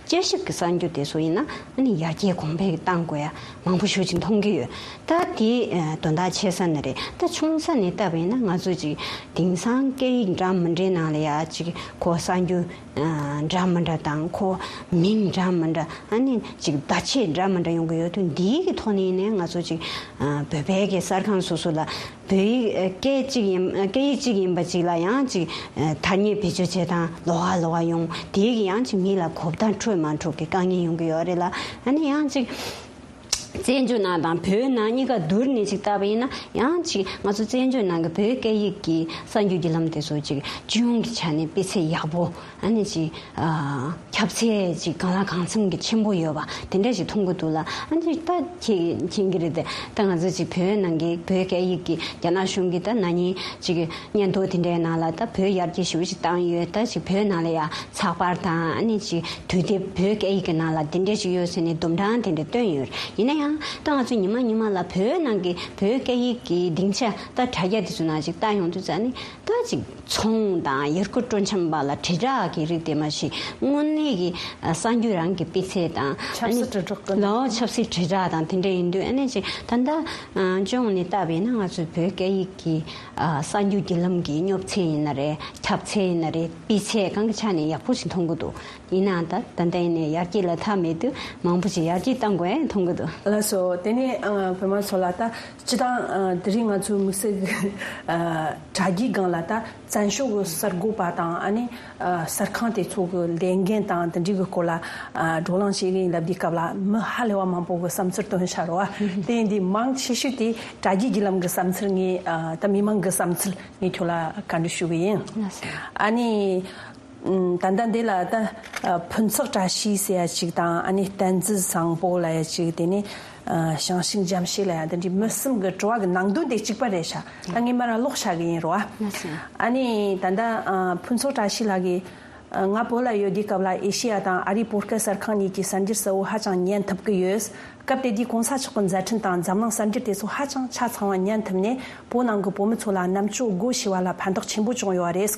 དཔྱད་ཞིབ་ཀྱི་གསར་འགྱུར་དེ་ཚོ་ཡིན་ན། ཨ་ནི་ཡར་རྒྱས་གོང་འཕེལ་གཏང་དགོས་ཡ་མང་པོ་ཞེ་ཅིག་མཐོང་གི་ཡོད། ད་དེ། ཨ། དོན་དག་ཆེ་ས་ནི་རེད། ད་ཆུང་ས་ནས་བལྟས་པ་ཡིན་ན་ང་ཚོ་ཅིག་དེང་སང་སྐད་ཡིག་འདྲ་མི་འདྲའི་ནང་ལ་ཡ་ཅིག་ཁོ་གསར་འགྱུར། ཨ། འདྲ་མི་འདྲ་དང་། ཁོ་མིང་འདྲ་མི་འདྲ། ཨ་ནི་ཅིག་བརྡ་ཆད་འདྲ་མི་འདྲ་ཡོང་གི་ཡོད་དུས། འདིའི་གི་ཐོག་ནས་ཡིན་ནའི་ང་ཚོ་ཅིག་ཨ། བོད་པའི་གི་གསར་ཁང་སོ་སོ་ལ་བོད་ཡིག། ཨ། སྐད་གཅིག་ཡིན། ཨ། སྐད་ཡིག་གཅིག་ཡིན་པ་ཅིག་ལ་ཡང་ཅིག་ཨ། ཐ་སྙད་བེད་སྤྱོད་བྱེད་སྟངས་ལོགས་ཀ་ལོགས་ཀ་ཡོང་། དེའི་གི་ཡང་ཅིག་མི་ལ་གོ་བརྡ་འཕྲོད་མ་འཕྲོད་ཀྱི་དཀའ་ངལ་ཡོང་གི་ཡོད་རེད་ལ། ཨ་ནི་ཡང་ཅིག་བཙན་བྱོལ་ནང་དང་བོད་ནང་གཉིས་ཀ་བསྡུར་ནས་ཅིག་བལྟས་པ་ཡིན་ན། ཡང་ཅིག་ང་ཚོ་བཙན་བྱོལ་ནང་གི་བོད་སྐད་ཡིག་གི་གསར་འགྱུར་བརྒྱུད་ལམ་དེ་ཚོ་ཅིག་སྤྱི་ཡོངས་ཀྱི་ཆ་ནས་སྤུས་ཚད་ཡག་པོ། ཨ་ནི་ཅིག་ཨ། ཁྱབ་ཚད་ཅིག་གང་ལ་གང་འཚམ་གྱི་ཆེན་པོ་ཡོད་པ་དེ་འདྲ་ཞིག་མཐོང་གི་འདུག་ལ། ཨ་ནི་ད་ཁྱེད་མཁྱེན་གྱི་རེད་དེ། ད་ང་ཚོ་ཅིག་བོད་ནང་གི་བོད་སྐད་ཡིག་གི་རྒྱ་ནག་གཞུང་གིས་ད་ན་ནིང་ཅིག་སྙན་ཐོ་དེ་འདྲའི་ནང་ལ་ད་བོད་ཡར་རྒྱས་ཞེ་པོ་ཅིག་བཏང་ཡོད། ད་ཅིག་བོད་ནང་ལ་ཡ་ཚགས་པར་དང་། ཨ་ནི་ཅིག་དུས་དེབ་བོད་སྐད་ཡིག་གི་ནང་ལ་དེ་འདྲ་ཞིག་ཡོད་ཟེར་ནས་དུམ་གྲངས་དེ་འདྲ་བཏོན་ཡོད། ཡིན་ན་ ཡང་ད་ང་ཚོ་ཉི་མ་ཉི་མ་ལ་བོད་ནང་གི་བོད་སྐད་ཡིག་གི་སྡིངས་ཆ་ད་དྲ་རྒྱ་དེ་ཚོ་ནང་ཅིག་ལྟ་ཡོང་དུས་ཙང་ནི་ད་ཅིག་ཚོང་དང་ཡུལ་སྐོར་སྤྲོ་འཆམ་པ་ལ་དྲིལ་བསྒྲགས་ཀྱི་རིགས་དེ་མ་གཞི་དངོས་གནས་ཀྱི་ཨ་གསར་འགྱུར་རང་གི་སྤུས་ཚད་དང་ཆབ་སྲིད་དྲིལ་བསྒྲགས་ཀྱི་ལའོ་ཆབ་སྲིད་དྲིལ་བསྒྲགས་དང་དེ་འདྲ་ཡིན་དུས་ཨ་ནི་ཅིག་ད་ལྟ་ཨ་སྤྱི་ཡོངས་ནས་བལྟས་པ་ཡིན་ན་ང་ཚོའི་བོད་སྐད་ཡིག་གི་ཨ་གསར་འགྱུར་བརྒྱུད་ལམ་གྱི་སྙོབ་ཚད་ཡིན་ན་རེད། ཁྱབ་ཚད་ཡིན་ན་རེད། སྤུས་ཚད་གང་གི་ཆ་ནས་ཡག་པོ་ཞིག་མཐོང་གི་འདུག་ཡིན་ནའང་ད་ད་ལྟ་ཡིན་ནའི་ཡར་རྒྱས་ལ་མཐའ་མེད་དུས་མང་པོ་ཞིག་ཡར་རྒྱས་གཏང་དགོས་ཡ་མཐོང་གི་འདུག་ལགས་སོ། དེ་ནས་ཨ་བུ་མོ་མཚོ་ལགས། ད་སྤྱིར་བཏང་ཨ་དེ་རིང་ང་ཚོའི་དམིགས་བསལ་གྱི་ཨ་དྲ་རྒྱའི་སྒང་ལ་ད་བཙན་བྱོལ་གྱི་གསར་འགོད་པ་དང་ཨ་ནི་ཨ་གསར་ཁང་དེ་ཚོ་གི་ལས་འགན་དང་དེ་འདྲའི་གི་སྐོར་ལ་ཨ་བགྲོ་གླེང་བྱེད་ཀྱི་ཡིན་ལབ་དུས་སྐབས་ལ་མི་ཧ་ལས་པ་མང་པོ་གི་བསམ་ཚུལ་བཏོན་བཞག་རེད་བ། དེ་ཡིན་དུས་མང་ཆེ་ཤོས་དེ་དྲ་རྒྱའི་བརྒྱུད་ལམ་གྱི་བསམ་ཚུལ་ངས་ཨ་ད་མི་མང་གི་བསམ་ཚུལ་ངས་ཁྱོད་ལ་བཀའ་འདྲི་ཞུ་གི་ཡིན། ལགས་སོ། ཨ་ནི། ཨམ། ད་ལྟ་འདི་ལ་ད་ཨ་ཕུན་ཚོགས་བཀྲ་ཤིས་ཟེར་ཡ་ཅིག་དང་ཨ་ནི་བསྟན་འཛིན་བཟང་པོ་ལབ་ཡ་ཅིག་དེ་ནི་ཨ་ཞང་ཞུང་འཇམ་ཤེས་ལབ་ཡ་འདི་འདྲའི་མི་གསུམ་གི་དྲི་བ་གི་ནང་དོན་དེ་གཅིག་པ་རེད་ཤག་ད་ངས་མར་ལོག་བྱ་གི་ཡིན་རོ། ཨ་ནི་ད་ལྟ་ཨ་ཕུན་ཚོགས་བཀྲ་ཤིས་ལགས་ཀྱིས་ཨ་ང་བོད་ལ་ཡོད་དུས་སྐབས་ལ་ཨེ་ཤེ་ཡ་དང་ཨ་རིའི་བོད་སྐད་གསར་ཁང་གཉིས་ཀྱི་གསར་འགྱུར་གསལ་བོ་ཧ་ཅང་ཉན་ཐུབ་ཀྱི་ཡོད། སྐབས་དེ་དུས་གོང་ས་མཆོག་གི་མཛད་འཕྲིན་དང་འཛམ་གླིང་གསར་འགྱུར་དེ་ཚོ་ཧ་ཅང་ཆ་ཚང་བ་ཉན་ཐུབ་ནས་བོད་ནང་གི་བོད་མི་ཚོ་ལ་རྣམ་དཔྱོད་སྒོ་ཕྱེ་བ་ལ་ཕན་ཐོགས་ཆེན་པོ་བྱུང་ཡོད་རེད།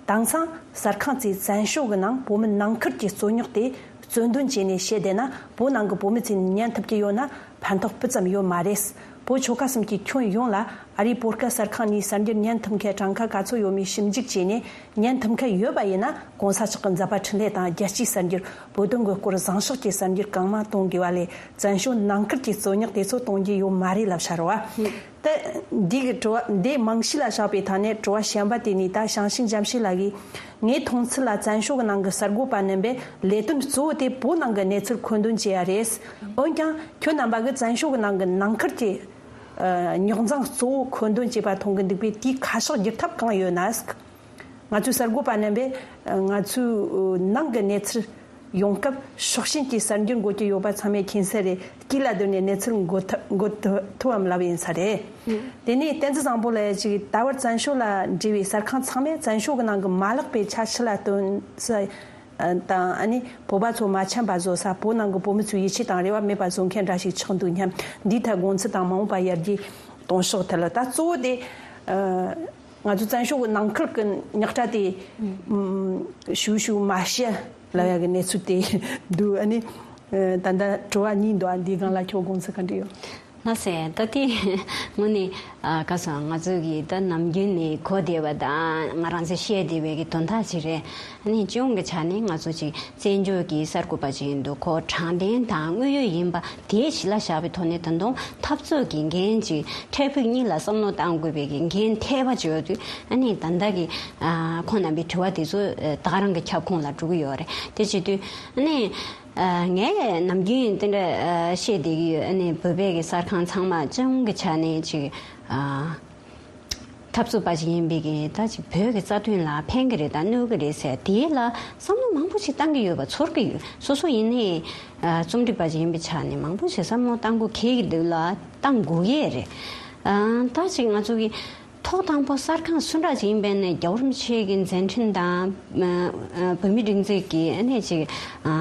དེང་སང་གསར་ཁང་ཚོས་བཙན་བྱོལ་གྱི་ནང་བོད་མི་ནང་ཁུལ་གྱི་རྩོད་རྙོག་དེ་རྩོད་འདོན་བྱས་ནས་བཤད་བསྡད་ན་བོད་ནང་གི་བོད་མི་ཚོས་ཉན་ཐུབ་ཀྱི་ཡོད་ན་ཕན་ཐོགས་སྤུ་ཙམ་ཡོད་མ་རེད། བོད་ཆོལ་ཁ་གསུམ་གྱི་ཁྱོན་ཡོངས་ལ་ཨ་རིའི་བོད་སྐད་གསར་ཁང་ནས་གསར་འགྱུར་ཉན་ཐུབ་མཁན་གྲངས་ཀ་ག་ཚོད་ཡོད་མེད་ཞིབ་འཇུག་བྱས་ནས་ཉན་ཐུབ་མཁན་ཡོད་པ་ཡིན་ན་གོང་ས་མཆོག་གི་མཛད་པ་འཕྲིན་ལས་དང་རྒྱལ་སྤྱིའི་གསར་འགྱུར་བོད་དོན་གྱི་སྐོར་བཟང་ཕྱོགས་ཀྱི་གསར་འགྱུར་གང་མང་གཏོང་དགོས་པ་ལས་བཙན་བྱོལ་ནང་ཁུལ་གྱི་རྩོད་རྙོག་དེ་ཚོ་གཏོང་རྒྱུ་ཡོད་མ་རེད་ལབ་བྱ་རོགས། ད་འདི་གི་དྲི་བ་འདི་རྨང་གཞི་ལ་བཞག་པའི་ཐད་ནས་དྲི་བ་གཞན་པ་དེ་ནི་ད་ཞང་ཞུང་འཇམ་ཤེས་ལགས་ཀྱིས་ངའི་མཐོང་ཚུལ་ལ་བཙན་བྱོལ་གྱི་ནང་གི་གསར་འགོད་པ་རྣམ་པས་ལས་དོན་གཙོ་བོ་དེ་བོད་ནང་གི་གནས་ཚུལ་མཁོ་འདོན་བྱེད་ཡ་རེད། འོན་ཀྱང་ཁྱོད་རྣམ་པ་གིས་བཙན་བྱོལ་གྱི་ནང་གི་ནང་ཁུལ་གྱི་ཨ་རྙོག་འཛིང་གཙོ་བོ་མཁོ་འདོན་བྱེད་པ་མཐོང་གི་འདུག་པས་དེའི་ཁ་ཕྱོགས་བསྒྱུར་ཐབས་གང་ཡོད་ན། ང་ཚོའི་གསར་འགོད་པ་རྣམ་པས་ང་ཚོའི་ནང་གི་གནས་ཚུལ་ཡོང་སྐབས་ཕྱོགས་ཞེན་གྱི་གསར་འགྱུར་འགོད་ཀྱི་ཡོད་པ་ཚང་མས་མཁྱེན་གསལ་རེད། དཀྱིལ་ལ་བསྡུར་ནས་གནས་ཚུལ་འགོད་ཐུབ་འགོད་ཐུབ་ཐུབ་བམ་ལབ་ཡིན་ས་རེད། དེ་ནས་བསྟན་འཛིན་བཟང་པོ་ལགས་ཀྱིས་ད་བར་བཙན་བྱོལ་ལ་འབྲེལ་བའི་གསར་ཁང་ཚང་མས་བཙན་བྱོལ་གྱི་ནང་གི་མ་ལག་པའི་ཆ་ཕྱི་ལ་སྟོན་ས་དང་ཨ་ནི་བོད་པ་ཚོ་མ་འཆམ་པ་བཟོ་ས་བོད་ནང་གི་བོད་མི་ཚོའི་ཡིད་ཆེས་དང་རེ་བ་མེད་པ་བཟོ་མཁན་འདྲ་ཞིག་ཆགས་འདུག་སྙམ། འདིའི་ཐད་དགོངས་ཚུལ་དང་མ་འོངས་པ་ཡར་རྒྱས་གཏོང་ཕྱོགས་ཐད་ལ་ད་གཙོ་བོ་དེ་ཨ། ང་ཚོ་བཙན་བྱོལ་གྱི་ནང་ཁུལ་གྱི་རྙོག་དྲ་དེ་ཨུམ་ཞུ་ཞུ་མ་བཤད་ལབ་ཡ་གི་གནས་ཚུལ་དེ་འདུག་ཨ་ནི་ཨ་ད་ལྟ་དྲི་བ་གཉིས་འདུག་ཨ་འདིའི་སྒང་ལ་ཁྱོད་དགོངས་ཚུལ་ག་འདྲ་ཡོད། ལགས་སེ། ད་དེ་དངོས་གནས་ཨ་ག་ཟེར་ང་ཚོ་གི་ད་ནམ་རྒྱུན་ནས་གོ་བསྡད་པ་དང་ང་རང་ཚོས་བཤད་བསྡད་པའི་གི་དོན་དག་ཅིག་རེད། ཨ་ནི་སྤྱི་ཡོངས་ཀྱི་ཆ་ནས་ང་ཚོ་ཅིག་བཙན་བྱོལ་གྱི་གསར་འགོད་པ་ཅིག་ཡིན་དུས་ཁོ་དྲང་བདེན་དང་དངོས་ཡོད་ཡིན་པ་དེ་གཞི་ལ་བཞག་པའི་ཐོག་ནས་ད་དུང་འཐབ་རྩོད་ཀྱི་འགན་ཅིག་འཕྲལ་ཕུགས་གཉིས་ལ་བསམ་བློ་གཏང་དགོས་པའི་གི་འགན་ཐེབས་པ་ཅིག་ཡོད་དུས་ཨ་ནི་ད་ལྟ་གི་ཨ་ཁོང་རྣམ་པའི་དྲི་བ་དེ་ཚོ་ཨ་ད་ག་རང་གི་ཁྱབ་ཁོངས་ལ་འགྲོ་གི་ཡོད་རེད། དེ་བྱེད་དུས་ཨ་ནི་ཨ་ངས་ནམ་རྒྱུན་དེ་འདྲ་ཨ་བཤད་བསྡད་ཀྱི་ཡོད། ཨ་ནི་བོད་པའི་གི་གསར་ཁང་ཚང་མ་སྤྱི་ཡོངས་ཀྱི་ཆ་ནས་ཅིག་ཨ། འཐབ་རྩོད་པ་ཞིག་ཡིན་པའི་གི་ད་ཅིག་བོད་ཀྱི་རྩ་དོན་ལ་ཕན་གི་རེད་དང་གནོད་གི་རེད་ཟེར་དེའི་ལ་བསམ་བློ་མང་པོ་ཞིག་བཏང་གི་ཡོད་པ་ཚོར་གི་ཡོད། སོ་སོ་ཡིན་ནའི་ཨ་རྩོམ་སྒྲིག་པ་ཞིག་ཡིན་པའི་ཆ་ནས་མང་པོ་ཞིག་བསམ་བློ་བཏང་དགོས་གལ་གི་འདུག་ལ་བཏང་དགོས་ཡས་རེད། ཨ་ད་ཅིག་ང་ཚོ་གི་ཐོག་དང་པོ་གསར་ཁང་སུ་འདྲ་ཅིག་ཡིན་པའི་ནས་རྒྱལ་བ་རིན་པོ་ཆེ་གི་མཛད་འཕྲིན་དང་ཨ་ཨ་བོད་མིའི་སྒྲིག་འཛུགས་ཀྱི་ཨ་ནས་ཅིག་ཨ་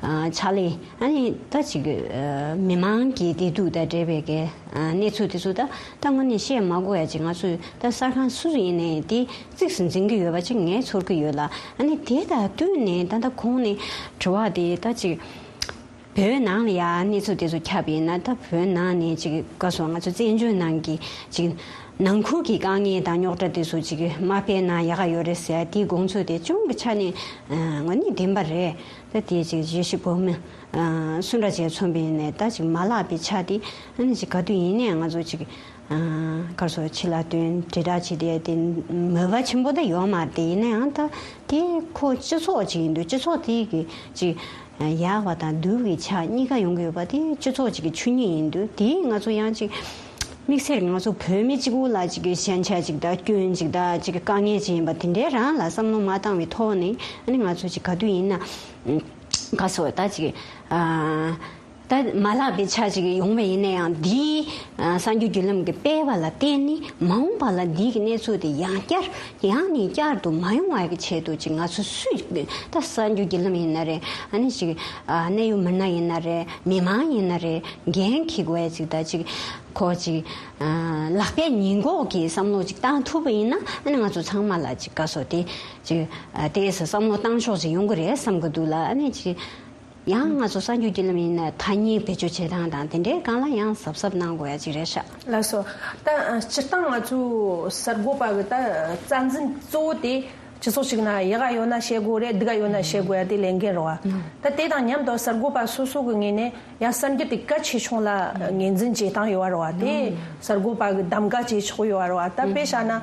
ཨ་ཕྱག་ལས་ཨ་ནི་ད་ཅིག་ཨ་མི་མང་གི་བདེ་སྡུག་དང་འབྲེལ་བའི་གི་གནས་ཚུལ་དེ་ཚོ་ད་ད་དངོས་གནས་བཤད་མ་དགོས་ཡ་ཅིག་ང་ཚོས་ད་གསར་ཁང་སུ་ཡིན་ནའི་དེ་གཙིགས་སུ་འཛིན་གྱི་ཡོད་པ་ཅིག་ངས་ཚོར་གྱི་ཡོད་ལ། ཨ་ནི་དེ་དང་བསྟུན་ནས་ད་ལྟ་གོང་ནས་དྲི་བ་དེ་ད་ཅིག་བོད་ནང་ལ་ཡ་གནས་ཚུལ་དེ་ཚོ་ཁྱབ་ཡིན་ན་ད་བོད་ནང་ནས་ཅིག་ག་སོང་ང་ཚོ་བཙན་བྱོལ་ནང་གི་ཅིག་ནང་ཁུལ་གྱི་དཀའ་ངལ་དང་རྙོག་དྲ་དེ་ཚོ་ཅིག་མ་སྤེལ་ན་ཡག་ག་ཡོད་རེད་ཟེར་དེའི་དགོངས་ཚུལ་དེ་ཅུང་གི་ཆ་ནས་ངོ་ནས་བདེན་པ་རེད། ད་དེ་ཅིག་བརྗོད་གཞི་བོད་མི། ཨ་སུ་འདྲ་ཅིག་མཚོན་པ་ཡིན་ནའི་ད་ཅིག་མ་ལགས་པའི་ཆ་དེ་ཨ་ནི་ཅིག་ག་དུས་ཡིན་ནའི་ང་ཚོ་ཅིག་ཨ་གར་སོ་ཕྱི་ལ་སྟོན་དྲིལ་བསྒྲགས་བྱེད་བསྡད་དེ་མོས་པ་ཆེན་པོ་ད་ཡོད་མ་རེད། དེ་ཡིན་ན་ཡང་ད་དེ་ཁོ་སྤྱི་ཚོགས་ཅིག་ཡིན་དུས་སྤྱི་ཚོགས་དེ་གི་ཅིག་ཡག་པ་དང་སྡུག་གི་ཆ་གཉིས་ཀ་ཡོང་གི་ཡོད་པ་དེ་སྤྱི་ཚོགས་ཅིག་གི་ཆོས་ཉིད་ཡིན་དུས་དེ་ང་ཚོ་ཡང་ཅིག་དམིགས་བསལ་ང་ཚོ་བོད་མི་གཅིག་པུ་ལ་ཅིག་གི་ཞན་ཆ་ཅིག་དང་སྐྱོན་ཅིག་དང་ཅིག་གི་དཀའ་ངལ་ཅིག་ཡིན་པ་དེ་འདྲའི་རང་ལ་བསམ་བློ་མ་བཏང་བའི་ཐོག་ནས་ཨ་ནི་ང་ཚོ་ཅིག་ག་དུས་ཡིན་ན། ག་སོ་ད་ཅིག་ཨ་ ད་མ་ལྷག་པའི་ཆ་ཅིག་ཡོང་བ་ཡིན་ན་ཡང་འདིའི་ཨ་གསར་འགྱུར་བརྒྱུད་ལམ་གྱི་སྤེལ་བ་ལ་བརྟེན་ནས་མ་འོངས་པ་ལ་འདི་གི་གནས་ཚུལ་དེ་ཡང་བསྐྱར་ཡང་ནས་བསྐྱར་དུ་མ་ཡོང་བ་གི་ཆེད་དུ་ཅིག་ང་ཚོ་སུས་ད་གསར་འགྱུར་བརྒྱུད་ལམ་ཡིན་ན་རེད། ཨ་ནི་ཅིག་ཨ་གནད་ཡོད་མི་སྣ་ཡིན་ན་རེད། མི་མང་ཡིན་ན་རེད། འགན་འཁྱེར་དགོས་ཡ་ཅིག་ད་ཅིག་ཁོ་ཅིག་ཨ་ལག་པའི་ཉེས་འགོག་གི་བསམ་བློ་ཅིག་བཏང་ཐུབ་པ་ཡིན་ན། ཨ་ནི་ང་ཚོ་ཚང་མ་ལ་ཅིག་ག་སོ་དེ་ཅིག་ཨ་ཏོག་ཙམ་བསམ་བློ་བཏང་ཕྱོགས་ཅིག་ཡོང་གི་རེད་བསམ་གི་འདུག་ལ། ཨ་ནི་ཅིག་ཡང་ང་ཚོ་གསར་འགྱུར་བརྒྱུད་ལམ་ཡིན་ན་ཐ་སྙད་བེད་སྤྱོད་བྱེད་སྟངས་དང་དེ་འདྲའི་སྒང་ལ་ཡང་གཟབ་གཟབ་གནང་དགོས་ཡ་ཅིག་རེད་ཤག་ལགས་སོ། ད་སྤྱིར་བཏང་ང་ཚོའི་གསར་འགོད་པ་གི་ད་རྩ་འཛིན་གཙོ་བོ་དེ་སྤྱི་ཚོགས་ཤིག་ན་ཡག་ག་ཡོད་ན་བཤད་དགོས་རེད། སྡུག་ག་ཡོད་ན་བཤད་དགོས་ཡ་དེ་ལས་འགན་རེད་བ། ད་དེ་དང་མཉམ་དུ་གསར་འགོད་པ་སོ་སོ་གི་ངོས་ནས་ཡང་གསར་འགྱུར་དེ་གལ་ཆེ་ཆུང་ལ་ངོས་འཛིན་བྱེད་སྟངས་ཡོད་བ་རེད་བ། དེ་གསར་འགོད་པ་གི་གདམ་ག་བྱེད་ཆོག་ཡོད་བ་རེད་བ། ད་དཔེ་བཞག་ན།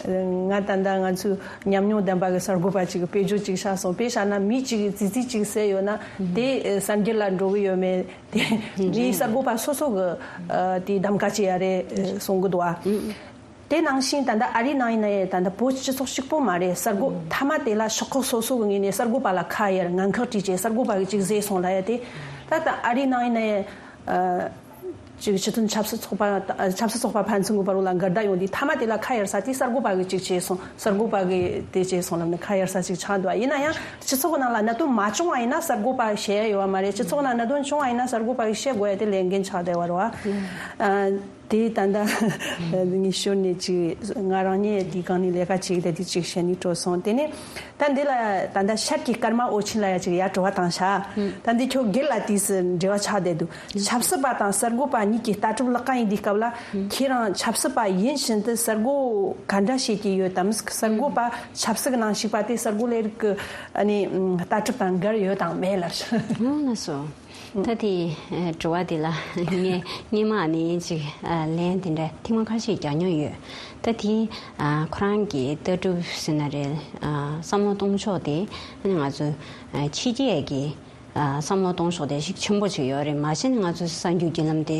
ང་ད་ལྟ་ང་ཚོའི་ཉམས་མྱོང་ལྡན་པ་གི་གསར་འགོད་པ་ཅིག་གི་དཔེ་བརྗོད་ཅིག་བྱས་སོང་། དཔེ་བཞག་ན་མི་གཅིག་གིས་ཙི་ཙི་ཅིག་ཟེར་ཡོད་ན་དེ་གསར་འགྱུར་ལ་འགྲོ་གི་ཡོད་མེད་དེ་མི་གསར་འགོད་པ་སོ་སོ་གི་དེ་གདམ་ག་བྱེད་ཡ་རེད་གསུང་གི་འདུག་ཨ། དེ་ནང་བཞིན་ད་ལྟ་ཨ་རིའི་ནང་ཡིན་ན་ཡང་ད་ལྟ་བོད་སྤྱི་ཚོགས་གཅིག་པོ་མ་རེད། གསར་འགོད་མཐའ་མ་དེ་ལ་ཤོག་ཁག་སོ་སོ་གི་ངོས་ནས་གསར་འགོད་པ་ལ་ཁ་གཡར་ངན་ཁག་བྲིས་བྱས་གསར་འགོད་པ་གིས་ཅིག་ཟེར་སོང་ལབ་ཡ་དེ། ད་ལྟ་ཨ་རིའི་ནང་ཡིན་ན་ཡང་། ཅིག་སྤྱི་མཐུན་ཆབ་སྲིད་ཚོགས་པ། ཆབ་སྲིད་ཚོགས་པ་ཕན་ཚུན་གྱི་བར་ལ་འགལ་ཟླ་ཡོང་དུས་མཐའ་མ་དེ་ལ་ཁ་གཡར་ས་དེ་གསར་འགོད་པ་གིས་ཅིག་བྱས་སོང་། གསར་འགོད་པ་གིས་དེ་བྱས་སོང་ལབ་ནས་ཁ་གཡར་ས་ཅིག་ཆགས་འདུག་ཡིན་ན་ཡང་སྤྱི་ཚོགས་ཀྱི་ནང་ལ་གནད་དོན་མ་བྱུང་བ་ཡིན་ན་གསར་འགོད་པ་བཤད་ཡ་ཡོད་པ་མ་རེད། སྤྱི་ཚོགས་ནང་གནད་དོན་བྱུང་བ་ཡིན་ན་གསར་འགོད་པ་གིས་བཤད་དགོས་ཡ་དེ་ལས་འགན་ཆགས་བསྡད་པ་རེད་བ། དེ་ད་ལྟ་ངས་ཞོར་ནས་ཅིག་ང་རང་ཉིད་དེའི་སྒང་ནས་ལས་ཀ་བྱེད་ཀྱི་དེ་ཅིག་བཤད་ནས་སྤྲོ་སོང་། དེ་ནས། ད་འདི་ལ་ད་ལྟ་ཤར་གྱི་སྐར་མ་འོད་ཆེན་ལ་ཡ་ཅིག་ཡ་དྲི་བ་བཏང་ཤག་ད་འདི་ཁྱོད་སྒེར་ལ་དུས་སུ་འབྲེལ་བ་ཆགས་བསྡད་འདུག་ཆབ་སྲིད་པ་དང་གསར་འགོད་པ་གཉིས་ཀྱི་ལྟ་གྲུབ་ལག་ཀ་ཡིན་དུས་སྐབས་ལ། ཁྱེད་རང་ཆབ་སྲིད་པ་ཡིན་བཞིན་དུ་གསར་འགོད་ག་འདྲ་བྱེད་ཀྱི་ཡོད་དམ། གསར་འགོད་པ་ཆབ་སྲིད་ཀྱི་ནང་ཞུགས་པ་དེ་གསར་འགོད་ལས་རིགས་ཀྱི་ཨ་ནི་ལྟ་གྲུབ་དང་འགལ་ཡོད་དང་མེད་ལབ། ལགས་སོ། ད་དེ་དྲི་བ་དེ་ལ་ངས་སྔོན་མ་ནས་ཅིག་ལན་དེ་འདྲ་ཐེངས་མ་ཁ་ཤས་རྒྱག་མྱོང་ཡོད། ད་དེ་ཁོ་རང་གི་ལྟ་གྲུབ་ཟེར་ན་རེད། བསམ་བློ་གཏོང་ཕྱོགས་དེ་ང་ཚོ་ཕྱི་རྒྱལ་གྱི་བསམ་བློ་གཏོང་ཕྱོགས་དེ་ཤུགས་ཆེན་པོ་ཅིག་ཡོད་རེད། མ་གཞི་ནས་ང་ཚོ་གསར་འགྱུར་བརྒྱུད་ལམ་དེ་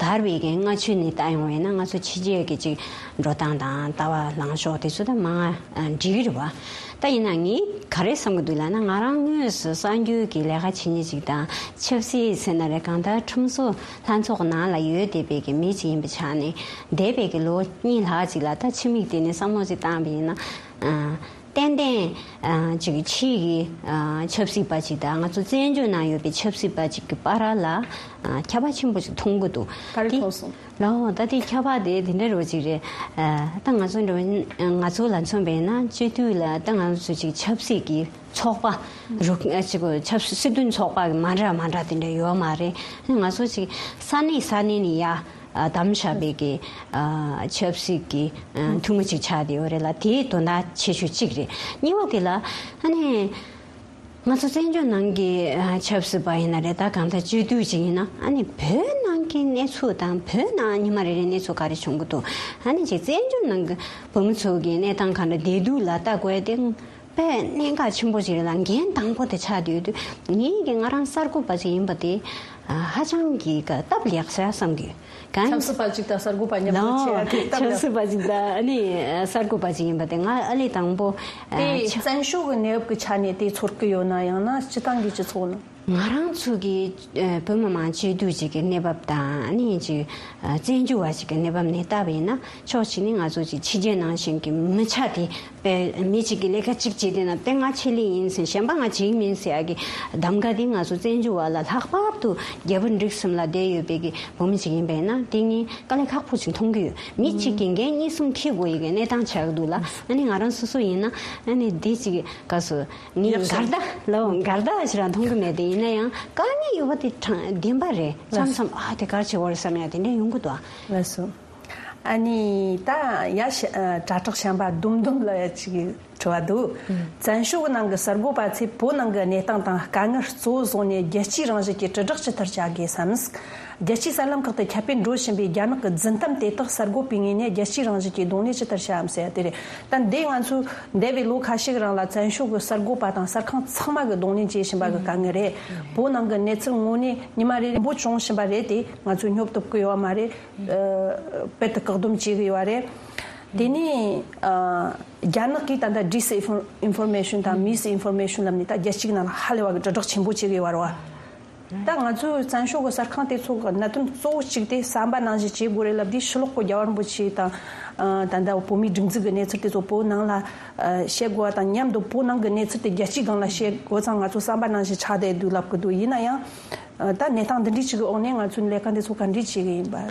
དར་བའི་གི་སྔ་ཕྱི་ནས་ལྟ་ཡོང་བ་ཡིན་ན། ང་ཚོ་ཕྱི་རྒྱལ་གྱི་ཅིག་འགྲོ་སྟངས་དང་ལྟ་བ་ལངས་ཕྱོགས་དེ་ཚོ་ད་མང་ང་འགྲིག་གི་རེད་བ། ད་ཡིན་ན་ངས་ག་རེ་བསམ་གྱི་འདུག་ལབ་ན། ང་རང་དངོས་སུ་གསར་འགྱུར་གྱི་ལས་ཀ་བྱེད་མཁན་ཅིག་དང་། ཆབ་སྲིད་ཟེར་ན་རེད། གང་ལྟར་ཁྲིམས་བཟོ་ལྷན་ཚོགས་ནང་ལ་ཡོད་བསྡད་པའི་གི་མི་ཅིག་ཡིན་པའི་ཆ་ནས། འདས་པའི་གི་ལོ་གཉིས་ལྷག་ཅིག་ལ་ད་ཕྱི་མིག་དེ་ནས་བསམ་བློ་ཅིག་བཏང་བ་ཡིན་ན། ཨ་ཏན་ཏན་ཨ་ཅིག་ཕྱིའི་གི་ཨ་ཆབ་སྲིད་པ་ཅིག་དང་ང་ཚོ་བཙན་བྱོལ་ནང་ཡོད་པའི་ཆབ་སྲིད་པ་ཅིག་གི་བར་ལ་ཨ་ཁྱད་པར་ཆེན་པོ་ཅིག་མཐོང་གི་འདུག་ག་རེ་དེ་མཐོང་སོང་། ལའོ། ད་དེ་ཁྱད་པར་དེ་དེ་འདྲ་རོ་ཅིག་རེད། ཨ་ད་ང་ཚོ་འགྲོ་ང་ཚོ་ལ་མཚོན་པ་ཡིན་ན། སྤྱི་འཐུས་ལ་ད་ང་ཚོ་ཅིག་ཆབ་སྲིད་ཀྱི་ཚོགས་པ་རུ་ཨ་ཅིག་ཆབ་སྲིད་སྲིད་དོན་ཚོགས་པ་གི་མ་འདྲ་མ་འདྲ་དེ་འདྲ་ཡོད་མ་རེད། ང་ཚོ་ཅིག་ས་གནས་ས་གནས་ནས་ཡ་ཨ་བདམས་བཞག་པའི་གི་ཨ་ཆབ་སྲིད་ཀྱི་ཨ་འཐུས་མི་ཅིག་ཆགས་བསྡད་ཡོད་རེད་ལ། དེའི་དོན་དག་ཆེ་ཤོས་གཅིག་རེད། གཉིས་པ་དེ་ལ་ཨ་ནི། ང་ཚོ་བཙན་བྱོལ་ནང་གི་ཨ་ཆབ་སྲིད་པ་ཡིན་ན་རེད། ད་གང་ལྟར་སྤྱི་འཐུས་ཅིག་ཡིན་ན། ཨ་ནི་བོད་ནང་གི་གནས་ཚུལ་དང་བོད་ནང་ཉི་མ་རེ་རེ་གནས་ཚུལ་ག་རེ་བྱུང་གི་འདུག་ཨ་ནི་ཅིག་བཙན་བྱོལ་ནང་གི་བོད་མི་ཚོ་གི་གནས་སྟངས་ག་འདྲ་བསྡད་འདུག་ལ་ལྟ་དགོས་ཡ་དེ་དཔེ་གནད་འགག་ཆེན་པོ་ཅིག་རེད་ལ། འགན་དང་པོ་དེ་ཆགས་བསྡད་ཡོད་དུས། ངེད་ཀྱི་ང་རང་གསར་འགོད་པ་ཅིག་ཡིན་པ་དེ་ཧ་ཅང་གི་སྟབས་ལེགས་ས་བསམ་གི་ཡོད། གང་ཆབ་སྲིད་པ་ཅིག་དང་གསར་འགོད་པ་མཉམ་དུ་ལའོ། བྱེད་ཡ་དེ་སྟབས་ཆབ་ལེགས། སྲིད་པ་ཅིག་དང་ཨ་ནི་གསར་འགོད་པ་ཅིག་ཡིན་པ་དེ་ང་ཨ་ལས་དང་པོ་ཨ་དེ་ཆ་བཙན་བྱོལ་གྱི་གནས་བབ་ཀྱི་ཆ་ནས་དེ་ཚོར་གྱི་ཡོད་ན། ཡང་ན་སྤྱི་བཏང་གི་སྤྱི་ཚོགས་ནང་། ང་རང་ཚོ་གི་ཨ་བོད་མི་མང་སྤྱི་འཐུས་ཅིག་གི་གནས་བབ་དང་། ཨ་ནི་ཅིག་ཨ་བཙན་བྱོལ་བ་ཅིག་གི་གནས་བབ་ནས་བལྟས་པ་ཡིན་ན། ཕྱོགས་གཅིག་ནས་ང་ཚོ་ཅིག་ཕྱི་རྒྱལ་ནང་བཞིན་གྱི་མི་ཆ་དེ། དཔེ་མི་གཅིག་གིས་ལས་ཀ་གཅིག་བྱས་བསྡད་ན། དཔེ་ང་ཆེད་ལས་ཡིན་ཟེར། གཞན་པ་ང་བྱེད་ཀྱི་མིན་ཟེར་ཡ་གི་གདམ་ག་དེ་ང་ཚོ་བཙན་བྱོལ་བ་ལ་ལྷག་པར་དུ་རྒྱལ་པོ་འབྲུག་གསུམ་ལ་བསྡད་ཡོད་པའི་གི་བོད་མི་ཅིག་ཡིན་པས་ན། དེ་ངས་དཀའ་ལས་ཁག་པོ་ཅིག་མཐོང་གི་ཡོད། མི་གཅིག་གིས་འགན་གཉིས་གསུམ་འཁྱེར་དགོས་ཡི་གི་གནས་སྟངས་ཆགས་ཀྱི་འདུག་ལ། ཨ་ནི་ང་རང་སོ་སོ་ཡིན་ན། ཨ་ནི་འདི་ཅིག་ག་སོ་ངས་འགལ་ཟླ་ལའོ། འགལ་ཟླ་ཞིག་རང་མཐོང་གི་མེད་དེ། ཡིན་ན་ཡང་དཀའ་ངལ་ཡོད་པ་དེ་དྲང་བདེན་པ་རེད། མཚམས་མཚམས་ཨ་དེ་ག་རེ་བྱེད་དགོས་རེད་བསམ་ཡ་དེ་འདྲ་ཡོང་གི་འདུག་ཨ། ལགས་སོ། ཨ་ནི་ད་ཡ་ཤ་ཨ་དྲ་གྲགས་ཤན་པ་ལྡུམ་ལྡུམ་ལ་ཡ་ཅིག་དྲི་བ་འདུག་བཙན་བྱོལ་གྱི་ནང་གི་གསར་འགོད་པ་ཚོས་བོད་ནང་གི་གནས་སྟངས་དང་དཀའ་ངལ་གཙོ་བོ་བཟུང་ནས་རྒྱལ་སྤྱིའི་རང་བཞིན་གྱི་དྲིལ་བསྒྲགས་ཇི་ལྟར་བྱ་དགོས་སམ། རྒྱལ་སྤྱིའི་གསར་ལམ་ཁག་ཏུ་ཁྱབ་སྤེལ་འགྲོ་བཞིན་པའི་རྒྱ་ནག་གི་རྫུན་གཏམ་དེ་དག་གསར་འགོད་པའི་ངོས་ནས་རྒྱལ་སྤྱིའི་རང་བཞིན་གྱི་གདོང་ལེན་ཇི་ལྟར་བྱ་འམ་ཟེར་ཡ་དེ་རེད། ད་འདི་ང་ཚོས་འདས་པའི་ལོ་ཁ་ཤས་ཀྱི་རིང་ལ་བཙན་བྱོལ་གྱི་གསར་འགོད་པ་དང་གསར་ཁང་ཚང་མ་གིས་གདོང་ལེན་བྱེད་བཞིན་པ་གི་དཀའ་ངལ་རེད། བོད་ནང་གི་གནས་ཚུལ་དངོས་གནས་ཉི་མ་རེ་རེ་འབོར་བྱུང་བཞིན་པ་རེད། དེ་ང་ཚོས་སྙོབ་ཐུབ་ཀྱི་ཡོད་མ་རེད། དཔེ་དེ་བཀག་སྡོམ་བྱེད་ཀྱི་ཡོད་རེད། དེ་ནས་ཨ་རྒྱ་ནག་གིས་ད་ལྟ་ཌིས་ཨིན་ཕོར་མེ་ཤོན་དང་མིས་ཨིན་ཕོར་མེ་ཤོན་ལབ་ནས་ད་རྒྱལ་སྤྱིའི་ནང་ལ་ཧ་ལས་པ་གི་དྲིལ་བསྒྲགས་ཆེན་པོ་བྱེད་ཀྱི་ཡོད་རེད་བ། ད་ང་ཚོའི་བཙན་བྱོལ་གྱི་གསར་ཁང་དེ་ཚོ་གི་གནད་དོན་གཙོ་བོ་གཅིག་དེ་བསམ་པ་ནང་བཞིན་བྱེད་དགོས་རེད་ལབ་དུས། ཕྱི་ལོགས་གི་རྒྱལ་བ་རིན་པོ་ཆེ་དང་། ཨ། ད་ལྟ་བོད་མིའི་སྒྲིག་འཛུགས་ཀྱི་གནས་ཚུལ་དེ་ཚོ་བོད་ནང་ལ་ཨ་བཤད་དགོས་པ་དང་། མཉམ་དུ་བོད་ནང་གི་གནས་ཚུལ་དེ་རྒྱལ་སྤྱིའི་སྒང་ལ་བཤད་དགོས་ཙང་། ང་ཚོ་བསམ་པ་ནང་བཞིན་ཆགས་བསྡད་འདུག་ལབ་ཀྱི་འདུག་ཡིན་ན་ཡང་། ཨ། ད་གནས་སྟངས་འདི་འདྲའི་ཅིག་གི་འོག་ནས་ང་ཚོའི་ལས་ཀ་འདི་ཚོ་ག་འདྲས་བྱེད་ཀྱི་ཡིན་པ།